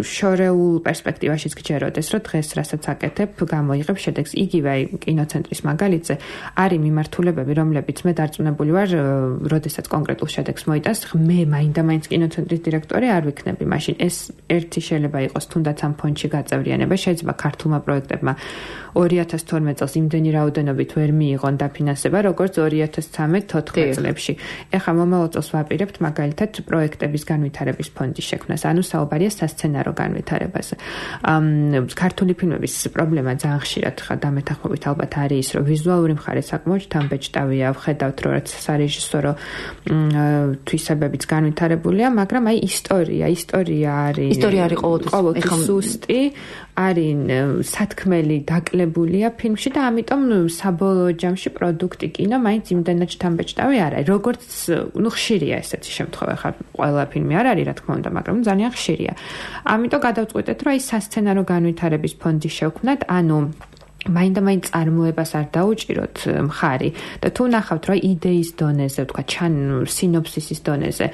შორეულ პერსპექტივაშიც გჯეროდეს, რომ დღეს რასაც აკეთებ, გამოიღებ შედეგს. იგივე აი კინოცენტრის მაგალითზე არის მიმართულებები, რომლებიც მე დარწმუნებული ვარ როდესაც კონკრეტულ შედეგს მოიტანს, მე მაინდა-მაინც კინოცენტრის დირექტორი არ ვიქნები მაშინ. ეს ერთი შეიძლება იყოს თუნდაც ამ ფონდში გაწევრიანება, შეიძლება ქართულმა პროექტებმა ორი ათას თორმეტ წელს იმდენი რაოდენობით ვერ მიიღონ დაფინანსება, როგორც ორი ათას ცხრამეტ თოთხმეტ წლებში. ეხლა მომავალ წელს ვაპირებთ მაგალითად პროექტების განვითარების ფონდის შექმნას, ანუ საუბარია სასცენარო განვითარებაზე. ქართული ფილმების პრობლემა ძალიან ხშირად ხა დამეთანხმებით ალბათ არის ის, რომ ვიზუალური მხარე საკმაოდ შთამბეჭდავია, ვხედავთ რომ რაც სარეჟისორო თვისებებიც განვითარებულია, მაგრამ აი ისტორია, ისტორია არის ისტორია არის ყოველთვის სუსტი, არის სათქმელი დაკლებულია ფილმში და ამიტომ საბოლოო ჯამში პროდუქტი კინო მაინც იმდენად შთამბეჭდავი არ არის. როგორც ნუ ხშირია ესეთი შემთხვევა, ხა ყველა ფილმი არ არის, რა თქმა უნდა, მაგრამ ძალიან ხშირია. ამიტომ გადავწყვეტეთ, რომ აი სასცენარო განვითარების ფონდი შევქმნათ, ანუ მაინდა-მაინც წარმოებას არ დაუჭიროთ მხარი და თუ ნახავთ რომ იდეის დონეზე, თქვა ჩან სინოფსისის დონეზე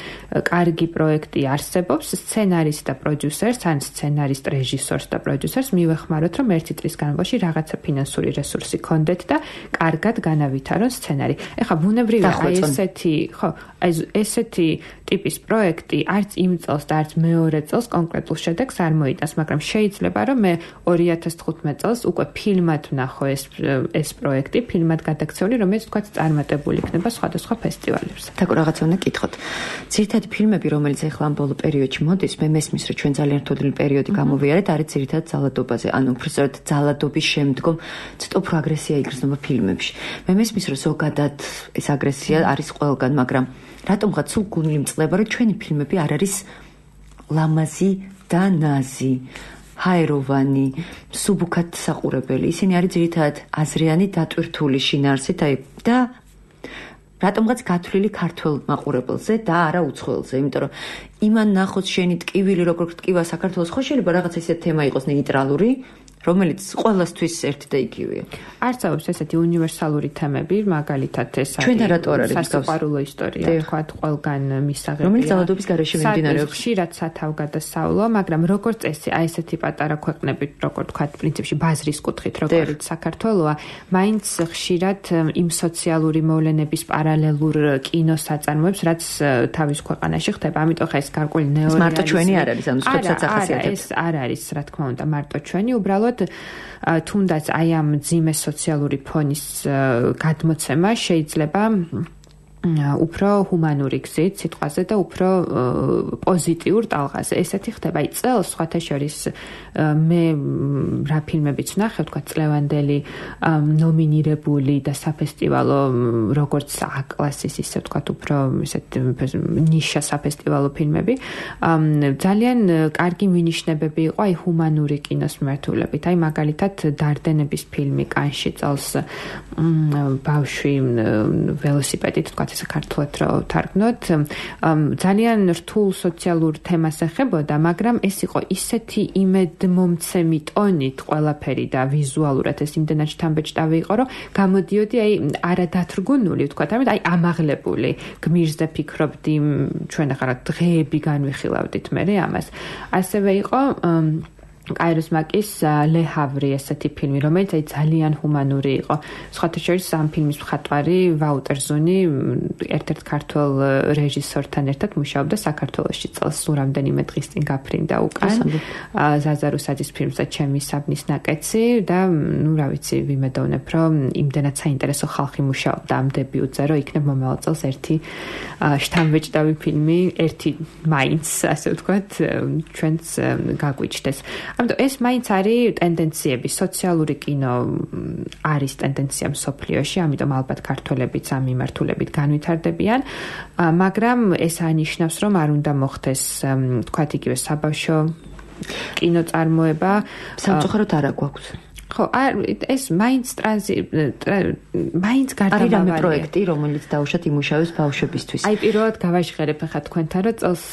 კარგი პროექტი არსებობს, სცენარისტ და პროდიუსერს ან სცენარისტ რეჟისორს და პროდიუსერს მივეხმაროთ რომ ერთი წლის განმავლობაში რაღაცა ფინანსური რესურსი გქონდეთ და კარგად განავითარონ სცენარი. ეხლა ბუნებრივია აი ესეთი, ხო, აი ესეთი ტიპის პროექტი არც იმ წელს და არც მეორე წელს კონკრეტულ შედეგს არ მოიტანს, მაგრამ შეიძლება რომ მე ორი ათას თხუთმეტ წელს უკვე ფილმად ვნახო ეს ეს პროექტი, ფილმად გადაქცეული, რომელიც თქვა წარმატებული იქნება სხვადასხვა ფესტივალებზე. თაკო რაღაცა უნდა გითხოთ. ძირითადად ფილმები, რომელიც ახლა ამ ბოლო პერიოდში მოდის, მე მესმის, რომ ჩვენ ძალიან რთული პერიოდი გამოვიარეთ, არის ძირითადად ძალადობაზე. ანუ უბრალოდ ძალადობის შემდგომ ცოტა უფრო აგრესია იგრძნობა ფილმებში. მე მესმის, რომ ზოგადად ეს აგრესია არის ყველგან, მაგრამ რატომღაც სულ გული მწყდება, რომ ჩვენი ფილმები არ არის ლამაზი და ნაზი. ჰაეროვანი, სუბუქად საყურებელი. ისინი არის ძირითადად აზრიანი დატვირთული შინაარსით, აი და რატომღაც გათვლილი ქართველ მაყურებელზე და არა უცხოელზე, იმიტომ რომ იმან ნახოს შენი ტკივილი, როგორ ტკივა საქართველოს, ხო შეიძლება რაღაცა ისეთი თემა იყოს ნეიტრალური, რომელიც ყველასთვის ერთი და იგივეა. არსებობს ესეთი უნივერსალური თემები, მაგალითად ეს არის ჩვენ რატო არ არის სასიყვარულო ისტორია, თქვათ, ყველგან მისაღებია. რომელიც ძალადობის გარეშე მიმდინარეობს. ხშირად სათავგადასავლო, მაგრამ როგორც წესი, აი ესეთი პატარა ქვეყნები, როგორც თქვათ, პრინციპში ბაზრის კუთხით, როგორც საქართველოა, მაინც ხშირად იმ სოციალური მოვლენების პარალელურ კინოსაწარმოებს, რაც თავის ქვეყანაში ხდება, ამიტომ ხა ეს გარკვეული ნეორეალიზმი. მარტო ჩვენი არ არის, ანუ სხვებსაც ახასიათებს. ეს არ არის, რა თქმა უნდა, მარტო ჩვენი, უბრალოდ თუნდაც აი ამ ძიმე სოციალური ფონის გადმოცემა შეიძლება უფრო ჰუმანური გზით სიტყვაზე და უფრო პოზიტიურ ტალღაზე. ესეთი ხდება. აი წელს სხვათა შორის მე რა ფილმებიც ვნახე, თქვა წლევანდელი ნომინირებული და საფესტივალო როგორც A-კლასის ისე თქვა უფრო ესეთ ნიშა საფესტივალო ფილმები. ძალიან კარგი მინიშნებები იყო აი ჰუმანური კინოს მიმართულებით. აი მაგალითად დარდენების ფილმი კანში წელს ბავშვი ველოსიპედით თქვა ესე ქართულად რო თარგმნოთ, ძალიან რთულ სოციალურ თემას ეხებოდა, მაგრამ ეს იყო ისეთი იმედმომცემი ტონით ყველაფერი და ვიზუალურად ეს იმდენად შთამბეჭდავი იყო, რომ გამოდიოდი აი არადათრგუნული, ვთქვათ, ამით აი ამაღლებული გმირზე ფიქრობდი, ჩვენ ახლა დღეები განვიხილავდით მე ამას. ასევე იყო კაიროს მაკის ლე ჰავრი ესეთი ფილმი, რომელიც აი ძალიან ჰუმანური იყო. სხვათა შორის ამ ფილმის მხატვარი ვაუტერ ზუნი ერთ-ერთ ქართველ რეჟისორთან ერთად მუშაობდა საქართველოში წელს რამდენიმე დღის წინ გაფრინდა უკან. ზაზა რუსაძის ფილმსა ჩემი საბნის ნაკეცი და ნუ რა ვიცი, ვიმედოვნებ, რომ იმდენად საინტერესო ხალხი მუშაობდა ამ დებიუტზე, რომ იქნებ მომავალ წელს ერთი შთამბეჭდავი ფილმი, ერთი მაინც, ასე ვთქვათ, ჩვენც გაგვიჩნდეს. ამიტომ ეს მაინც არის ტენდენციები, სოციალური კინო არის ტენდენცია მსოფლიოში, ამიტომ ალბათ ქართველებიც ამ მიმართულებით განვითარდებიან, მაგრამ ეს ანიშნავს, რომ არ უნდა მოხდეს, თქვათ, იგივე საბავშვო კინოწარმოება. სამწუხაროდ არა გვაქვს. ხო, ეს მაინც ტრანზი მაინც გარდამავალი. არის რამე პროექტი, რომელიც დაუშვათ იმუშავებს ბავშვებისთვის. აი პირველად გავაჟღერებ ახლა თქვენთან, რომ წელს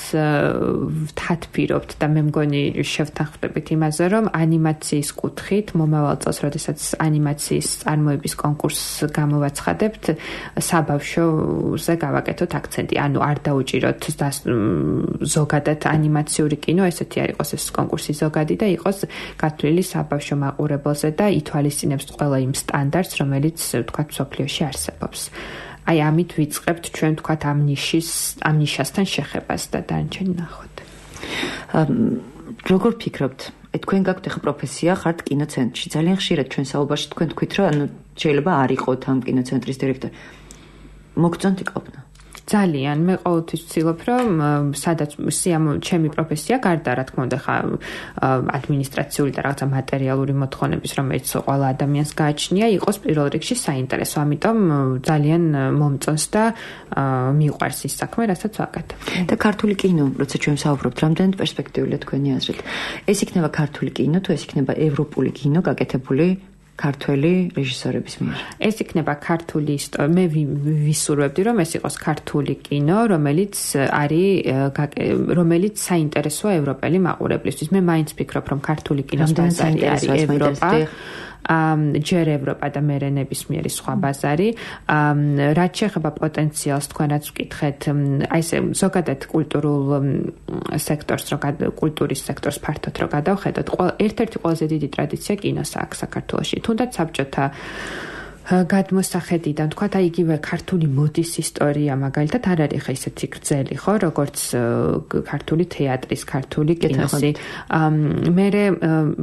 ვთათბირობთ და მე მგონი შევთანხმდებით იმაზე, რომ ანიმაციის კუთხით მომავალ წელს, როდესაც ანიმაციის წარმოების კონკურსს გამოვაცხადებთ, საბავშვოზე გავაკეთოთ აქცენტი. ანუ არ დაუჭიროთ ზოგადად ანიმაციური კინო, ესეთი არ იყოს ეს კონკურსი ზოგადი და იყოს გათვლილი საბავშვო მაყურებელზე და ითვალისწინებს ყველა იმ სტანდარტს, რომელიც ვთქვათ მსოფლიოში არსებობს. აი ამით ვიწყებთ ჩვენ ვთქვათ ამ ნიშის, ამ ნიშასთან შეხებას და დანარჩენი ნახოთ. როგორ ფიქრობთ? თქვენ გაქვთ ახლა პროფესია, ხართ კინოცენტრში. ძალიან ხშირად ჩვენ საუბარში თქვენ თქვით, რომ ანუ შეიძლება არ იყოთ ამ კინოცენტრის დირექტორი. მოგწონთ იყოფნა? ძალიან მე ყოველთვის ვცდილობ, რომ სადაც სიამო ჩემი პროფესია გარდა რა თქმა უნდა ხა ადმინისტრაციული და რაღაცა მატერიალური მოთხოვნების, რომელიც ყველა ადამიანს გააჩნია, იყოს პირველ რიგში საინტერესო. ამიტომ ძალიან მომწონს და მიყვარს ის საქმე, რასაც ვაკეთებ. და ქართული კინო, როცა ჩვენ ვსაუბრობთ, რამდენად პერსპექტიულია თქვენი აზრით? ეს იქნება ქართული კინო, თუ ეს იქნება ევროპული კინო გაკეთებული ქართველი რეჟისორების მიერ. ეს იქნება ქართული ისტორია. მე ვისურვებდი, რომ ეს იყოს ქართული კინო, რომელიც არის რომელიც საინტერესოა ევროპელი მაყურებლისთვის. მე მაინც ვფიქრობ, რომ ქართული კინოს ბაზარი არის ევროპა. ჯერ ევროპა და მერე ნებისმიერი სხვა ბაზარი. რაც შეეხება პოტენციალს, თქვენ რაც ვკითხეთ, აი ესე ზოგადად კულტურულ სექტორს, რო კულტურის სექტორს ფართოდ რო გადავხედოთ, ერთ-ერთი ყველაზე დიდი ტრადიცია კინოს აქვს საქართველოში. თუნდაც საბჭოთა გადმოსახედიდან, თქვათ, აი იგივე ქართული მოდის ისტორია, მაგალითად, არ არის ხა ისეთი გრძელი, ხო, როგორც ქართული თეატრის, ქართული კინოსი. მერე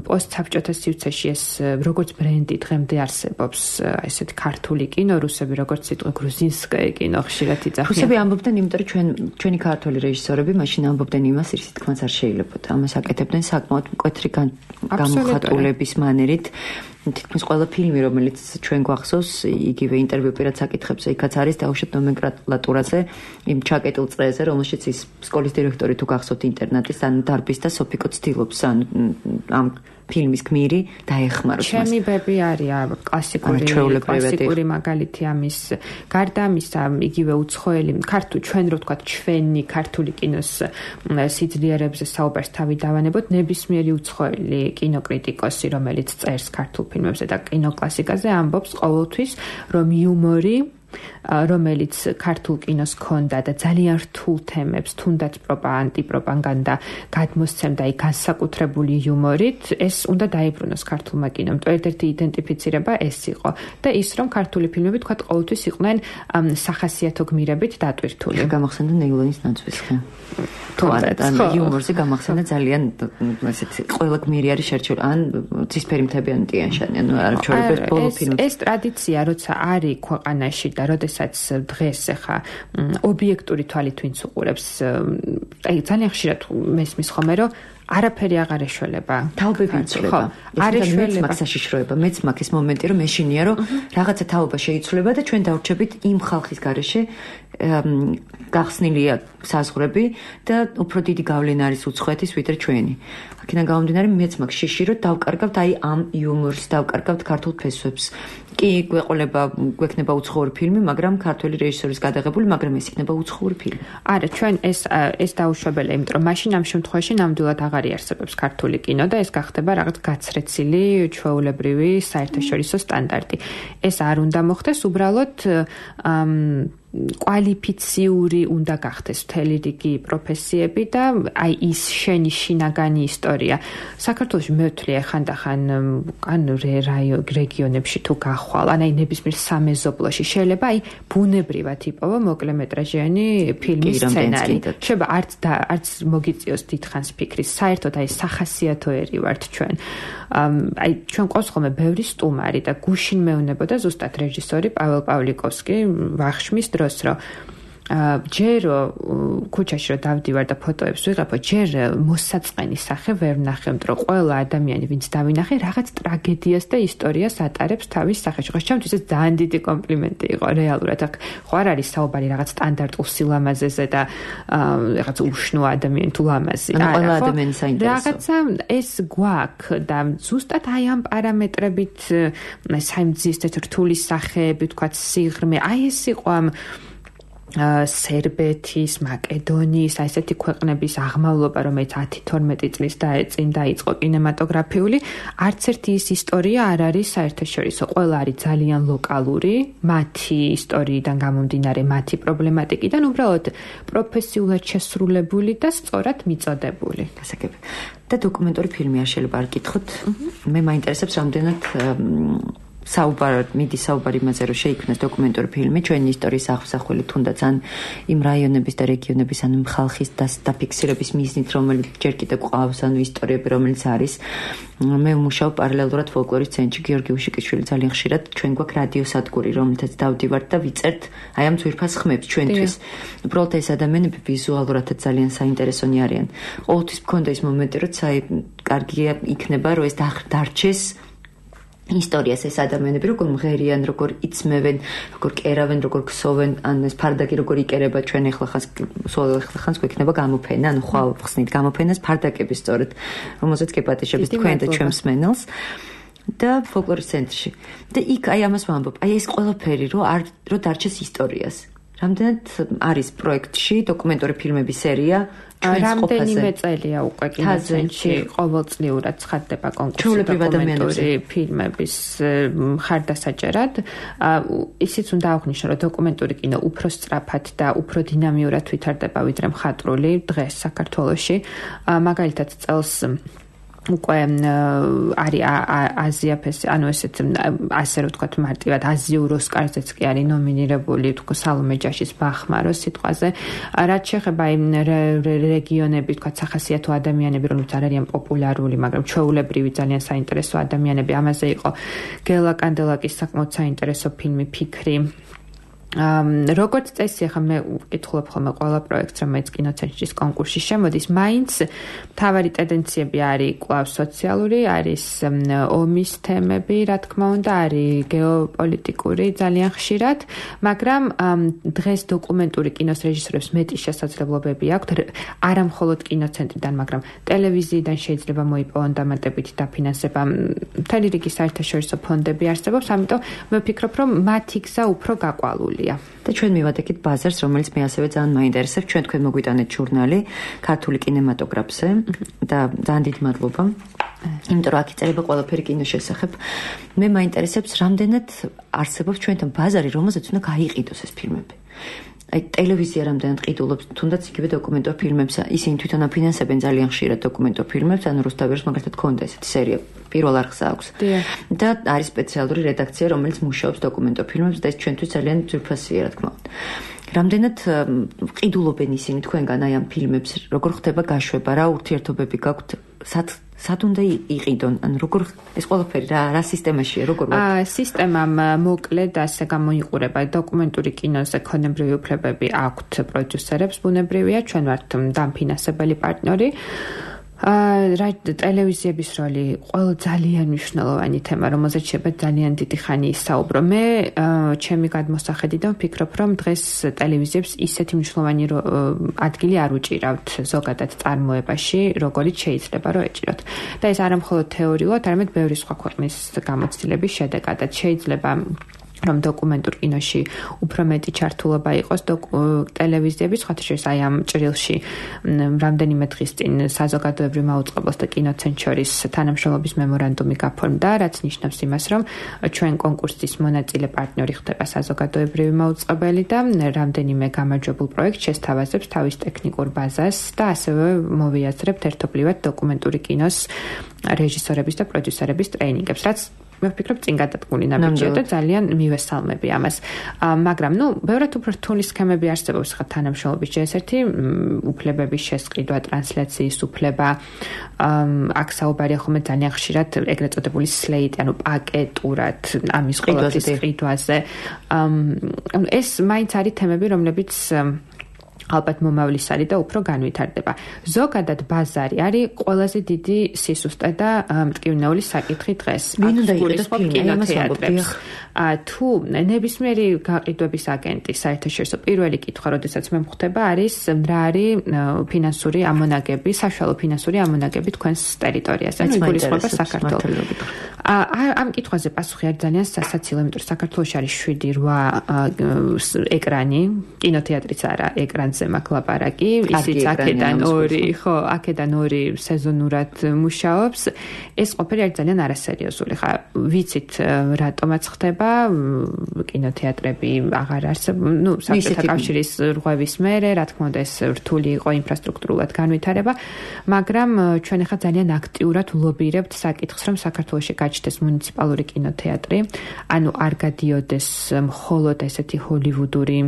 პოსტსაბჭოთა სივრცეში ეს როგორც ბრენდი დღემდე არსებობს, ესეთი ქართული კინო, რუსები როგორც სიტყვა გრუზინსკაი კინო ხშირად იძახიან. რუსები ამბობდნენ, იმიტომ რომ ჩვენ ჩვენი ქართული რეჟისორები მაშინ ამბობდნენ იმას, რის თქმაც არ შეიძლებოდა. ამას აკეთებდნენ საკმაოდ მკვეთრი გამოხატულების მანერით. თითქმის ყველა ფილმი, რომელიც ჩვენ გვახსოვს, იგივე ინტერვიუ პირად საკითხებზე, იქაც არის დაუშვათ ნომენკლატურაზე, იმ ჩაკეტილ წრეზე, რომელშიც ის სკოლის დირექტორი თუ გახსოვთ ინტერნატის ან დარბის და სოფიკო ცდილობს ან ამ ფილმის გმირი დაეხმაროს მას. ჩემი ბები არის კლასიკური კლასიკური მაგალითი ამის. გარდა ამისა, იგივე უცხოელი ქართული ჩვენ რო ვთქვათ ჩვენი ქართული კინოს სიძლიერებზე საუბარს თავი დავანებოთ, ნებისმიერი უცხოელი კინოკრიტიკოსი, რომელიც წერს ქართულ ფილმებზე და კინოკლასიკაზე ამბობს ყოველთვის, რომ იუმორი რომელიც ქართულ კინოს ქონდა და ძალიან რთულ თემებს, თუნდაც ანტიპროპაგანდა გადმოსცემდა იქ განსაკუთრებული იუმორით, ეს უნდა დაიბრუნოს ქართულმა კინომ. ერთ-ერთი იდენტიფიცირება ეს იყო და ის რომ ქართული ფილმები თქვა ყოველთვის იყვნენ სახასიათო გმირებით დატვირთული. გამახსენდა ნეილონის ნაცვისხი. თუნდაც ან იუმორზე გამახსენდა ძალიან ესეთი ყველა გმირი არის შერჩეული ან ცისფერი მთები ან ტიან-შანი, ანუ არ ჩვეულებრივ ბოლო ფილმებში. ეს ტრადიცია როცა არის ქვეყანაში და როდესაც დღეს ახლა ობიექტური თვალით ვინც უყურებს, აი ძალიან ხშირად მესმის ხოლმე რომ არაფერი აღარ ეშველება. თაობები იცვლება. არ ეშველება. მეც საშიშროება, მეც მაქვს ეს მომენტი რომ მეშინია რომ რაღაცა თაობა შეიცვლება და ჩვენ დავრჩებით იმ ხალხის გარეშე გახსნილია საზღვრები და უფრო დიდი გავლენა არის უცხოეთის ვიდრე ჩვენი. აქედან გამომდინარე მეც მაქვს შიში რომ დავკარგავთ აი ამ იუმორს, დავკარგავთ ქართულ ფესვებს. კი გვეყოლება გვექნება უცხოური ფილმი, მაგრამ ქართველი რეჟისორის გადაღებული, მაგრამ ეს იქნება უცხოური ფილმი. არა, ჩვენ ეს ეს დაუშვებელია, იმიტომ რომ მაშინ ამ შემთხვევაში ნამდვილად აღარ იარსებებს ქართული კინო და ეს გახდება რაღაც გაცრეცილი ჩვეულებრივი საერთაშორისო სტანდარტი. ეს არ უნდა მოხდეს, უბრალოდ კვალიფიციური უნდა გახდეს მთელი რიგი პროფესიები და აი ის შენი შინაგანი ისტორია. საქართველოში მე ვთვლი ხანდახან ან რეგიონებში თუ გახვალ, ან აი ნებისმიერ სამეზობლოში შეიძლება აი ბუნებრივად იპოვო მოკლემეტრაჟიანი ფილმის სცენარი. შეიძლება არც და არც მოგიწიოს დიდხანს ფიქრი, საერთოდ აი სახასიათოერი ვართ ჩვენ. აი ჩვენ ყავს ხოლმე ბევრი სტუმარი და გუშინ მეუნებოდა ზუსტად რეჟისორი პაվել პავლიკოვსკი ვახშმის დროს რომ ჯერ ქუჩაში რომ დავდივარ და ფოტოებს ვიღებო, ჯერ მოსაწყენი სახე ვერ ვნახე, რომ ყველა ადამიანი ვინც დავინახე რაღაც ტრაგედიას და ისტორიას ატარებს თავის სახეში. ხო, ჩემთვის ეს ძალიან დიდი კომპლიმენტი იყო რეალურად. ხო არ არის საუბარი რაღაც სტანდარტულ სილამაზეზე და რაღაც უშნო ადამიანი თუ ლამაზი. ყველა ადამიანი საინტერესო. რაღაცა ეს გვაქვს და ზუსტად აი ამ პარამეტრებით საიმძიეს რთული სახეები, თქვა სიღრმე, აი ეს იყო ამ სერბეთის, მაკედონიის, აი ესეთი ქვეყნების აღმავლობა, რომელიც ათი თორმეტი წლის წინ დაიწყო კინემატოგრაფიული, არც ერთი ის ისტორია არ არის საერთაშორისო. ყველა არის ძალიან ლოკალური, მათი ისტორიიდან გამომდინარე, მათი პრობლემატიკიდან უბრალოდ პროფესიულად შესრულებული და სწორად მიწოდებული. გასაგები. და დოკუმენტური ფილმი არ შეიძლება არ გითხოთ. მე მაინტერესებს რამდენად საუბარ მიდის საუბარი იმაზე, რომ შეიქმნას დოკუმენტური ფილმი ჩვენი ისტორიის აღსახველი, თუნდაც ან იმ რაიონების და რეგიონების, ან ხალხის დაფიქსირების მიზნით, რომელიც ჯერ კიდევ ყავს, ანუ ისტორიები, რომელიც არის. მე ვმუშაობ პარალელურად ფოლკლორის ცენტრში, გიორგი უშიკიშვილი ძალიან ხშირად ჩვენ გვაქვს რადიოსადგური, რომელთაც დავდივართ და ვიწერთ აი ამ ძვირფას ხმებს ჩვენთვის. უბრალოდ ეს ადამიანები ვიზუალურადაც ძალიან საინტერესონი არიან. ყოველთვის მქონდა ის მომენტი, რომ საი კარგია იქნება, რომ ეს დარჩეს ისტორიას ეს ადამიანები როგორ მღერიან, როგორ იცმევენ, როგორ კერავენ, როგორ ქსოვენ, ან ეს ფარდაკი როგორ იკერება ჩვენ ახლა ხანს სულ ახლა ხანს გვექნება გამოფენა, ანუ ხვალ ხსნით გამოფენას ფარდაკების სწორედ, რომელზეც გეპატიჟებს თქვენ და ჩვენ მსმენელს და ფოლკლორის ცენტრში. და იქ აი ამას ვამბობ, აი ეს ყველაფერი რო არ რო დარჩეს ისტორიას. რამდენად არის პროექტში დოკუმენტური ფილმების სერია რამდენიმე წელია უკვე კინოცენტრში ყოველწლიურად ცხადდება კონკურსი დოკუმენტური ფილმების მხარდასაჭერად. ისიც უნდა აღვნიშნო, რომ დოკუმენტური კინო უფრო სწრაფად და უფრო დინამიურად ვითარდება ვიდრე მხატვრული დღეს საქართველოში. მაგალითად წელს უკვე არის აზია ფესტივალი, ანუ ესეთ ასე რომ ვთქვათ მარტივად აზიურ ოსკარზეც კი არის ნომინირებული, თქო სალომე ჯაშის ბახმაროს სიტყვაზე. რაც შეეხება იმ რეგიონები, ვთქვათ სახასიათო ადამიანები, რომლებიც არ არიან პოპულარული, მაგრამ ჩვეულებრივი ძალიან საინტერესო ადამიანები, ამაზე იყო გელა კანდელაკის საკმაოდ საინტერესო ფილმი ფიქრი. როგორც წესი, ახლა მე ვკითხულობ ხოლმე ყველა პროექტს, რომელიც კინოცენტრის კონკურსში შემოდის, მაინც მთავარი ტენდენციები არის კვლავ სოციალური, არის ომის თემები, რა თქმა უნდა, არის გეოპოლიტიკური ძალიან ხშირად, მაგრამ დღეს დოკუმენტური კინოს რეჟისორებს მეტი შესაძლებლობები აქვთ, არა მხოლოდ კინოცენტრიდან, მაგრამ ტელევიზიიდან შეიძლება მოიპოვონ დამატებითი დაფინანსება, მთელი რიგი საერთაშორისო ფონდები არსებობს, ამიტომ მე ვფიქრობ, რომ მათი გზა უფრო გაყვალულია. და ჩვენ მივადექით ბაზარს, რომელიც მე ასევე ძალიან მაინტერესებს. ჩვენ თქვენ მოგვიტანეთ ჟურნალი ქართული კინემატოგრაფზე და ძალიან დიდი მადლობა. იმიტომ რომ აქ იწერება ყველაფერი კინოს შესახებ. მე მაინტერესებს, რამდენად არსებობს ჩვენთან ბაზარი, რომელზეც უნდა გაიყიდოს ეს ფილმები. აი ტელევიზია რამდენად ყიდულობს, თუნდაც იგივე დოკუმენტურ ფილმებს, ისინი თვითონ აფინანსებენ ძალიან ხშირად დოკუმენტურ ფილმებს, ანუ რუსთავის მაგალითად ქონდა ესეთი სერია პირველ არხს აქვს. და არის სპეციალური რედაქცია, რომელიც მუშაობს დოკუმენტურ ფილმებს და ეს ჩვენთვის ძალიან ძვირფასია, რა თქმა უნდა. რამდენად ყიდულობენ ისინი თქვენგან აი ამ ფილმებს, როგორ ხდება გაშვება, რა ურთიერთობები გაქვთ, სად სად უნდა იყიდონ, ანუ როგორ ეს ყველაფერი რა რა სისტემაშია, როგორ აა სისტემამ მოკლედ ასე გამოიყურება დოკუმენტური კინოზე ქონებრივი უფლებები აქვთ პროდიუსერებს, ბუნებრივია, ჩვენ ვართ დამფინანსებელი პარტნიორი. აა ტელევიზიების როლი ყველა ძალიან მნიშვნელოვანი თემა, რომელზეც შეიძლება ძალიან დიდი ხანი ისაუბრო. მე ჩემი გადმოსახედიდან ვფიქრობ, რომ დღეს ტელევიზიებს ისეთი მნიშვნელოვანი ადგილი არ უჭირავთ ზოგადად წარმოებაში, როგორიც შეიძლება რომ ეჭიროთ. და ეს არა მხოლოდ თეორიულად, არამედ ბევრი სხვა ქვეყნის გამოცდილების შედეგადაც შეიძლება რომ დოკუმენტურ კინოში უფრო მეტი ჩართულობა იყოს ტელევიზიების, ხათშორის აი ამ ჭრილში რამდენიმე დღის წინ საზოგადოებრივ მაუწყებლოს და კინოცენტრ შორის თანამშრომლობის მემორანდუმი გაფორმდა, რაც ნიშნავს იმას, რომ ჩვენ კონკურსის მონაწილე პარტნიორი ხდება საზოგადოებრივი მაუწყებელი და რამდენიმე გამარჯვებულ პროექტს შესთავაზებს თავის ტექნიკურ ბაზას და ასევე მოვიაზრებთ ერთობლივად დოკუმენტური კინოს რეჟისორების და პროდიუსერების ტრეინინგებს, რაც მე ვფიქრობ წინ გადადგმული ნაბიჯია და ძალიან მივესალმები ამას. მაგრამ ნუ ბევრად უფრო რთული სქემები არსებობს ხა თანამშრომლობის ჯერ ერთი უფლებების შესყიდვა, ტრანსლაციის უფლება, აქ საუბარია ხოლმე ძალიან ხშირად ეგრეთ წოდებული სლეიტი, ანუ პაკეტურად ამის ყველაფრის ყიდვაზე. ეს მაინც არის თემები, რომლებიც ალბათ მომავლის არის და უფრო განვითარდება. ზოგადად ბაზარი არის ყველაზე დიდი სისუსტე და მტკივნეული საკითხი დღეს. ვინ უნდა იყიდოს კინოთეატრებს? თუ ნებისმიერი გაყიდვების აგენტი საერთაშორისო პირველი კითხვა, როდესაც მე მხვდება, არის რა არის ფინანსური ამონაგები, საშუალო ფინანსური ამონაგები თქვენს ტერიტორიაზე, ანუ იგულისხმება საქართველოს. ამ კითხვაზე პასუხი არის ძალიან სასაცილო, იმიტომ რომ საქართველოში არის შვიდი რვა ეკრანი, კინოთეატრიც არა, ეკრანზე მაქვს ლაპარაკი, ისიც აქედან ორი, ხო, აქედან ორი სეზონურად მუშაობს. ეს ყოფილი არის ძალიან არასერიოზული. ხა ვიცით რატომაც ხდება კინოთეატრები აღარ არსებობს, ну, საბჭოთა კავშირის რღვევის მერე, რა თქმა უნდა, ეს რთული იყო ინფრასტრუქტურულად განვითარება, მაგრამ ჩვენ ახლა ძალიან აქტიურად ვლობირებთ საკითხს, რომ საქართველოში გაჩნდეს მუნიციპალური კინოთეატრი, ანუ არ გადიოდეს მხოლოდ ესეთი ჰოლივუდური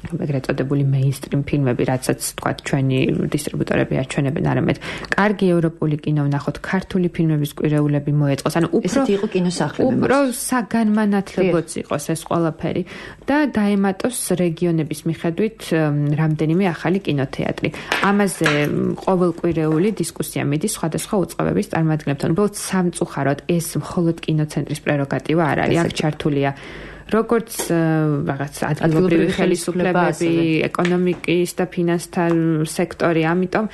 ეგრეთ წოდებული მეინსტრიმ ფილმები, რაცაც თქვა ჩვენი დისტრიბუტორები აჩვენებენ, არამედ კარგი ევროპული კინო ვნახოთ, ქართული ფილმების კვირეულები მოეწყოს, ანუ უფრო ესეთი იყო კინოსახლები, უფრო საგანმანათლებოც იყოს ეს ყველაფერი და დაემატოს რეგიონების მიხედვით რამდენიმე ახალი კინოთეატრი. ამაზე ყოველკვირეული დისკუსია მიდის სხვადასხვა უწყებების წარმომადგენლებთან. უბრალოდ სამწუხაროდ ეს მხოლოდ კინოცენტრის პრეროგატივა არ არის, აქ ჩართულია როგორც რაღაც ადგილობრივი ხელისუფლებები, ეკონომიკის და ფინანსთა სექტორი, ამიტომ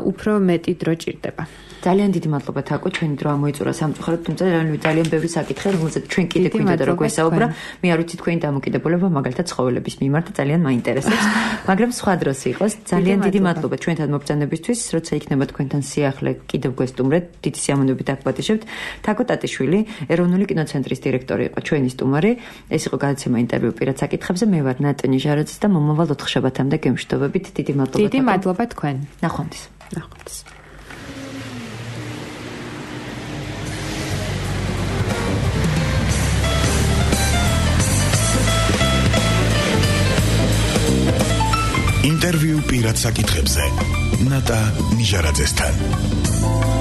უფრო მეტი დრო ჭირდება. ძალიან დიდი მადლობა თაკო, ჩვენი დრო ამოიწურა სამწუხაროდ, თუმცა ძალიან ბევრი საკითხი, რომელზეც ჩვენ კიდე გვინდა და როგორ ვესაუბრა, მე არ ვიცი თქვენი დამოკიდებულება მაგალითად ცხოველების მიმართ ძალიან მაინტერესებს, მაგრამ სხვა დროს იყოს. ძალიან დიდი მადლობა ჩვენთან მობრძანებისთვის, როცა იქნება თქვენთან სიახლე, კიდევ გვესტუმრეთ, დიდი სიამოვნებით აგვატიშებთ. თაკო ტატიშვილი, ეროვნული კინოცენტრის დირექტორი იყო ჩვენი სტუმარი. ეს იყო გადაცემა ინტერვიუ პირად საკითხებზე. მე ვარ ნატონი ჟარაძე და მომავალ ოთხშაბათამდე გემშვიდობებით. დიდი მადლობა. დიდი მადლობა თქვენ. ნახვამდის. ნახვამდის. ინტერვიუ პირად საკითხებზე. ნატა ნიჟარაძესთან.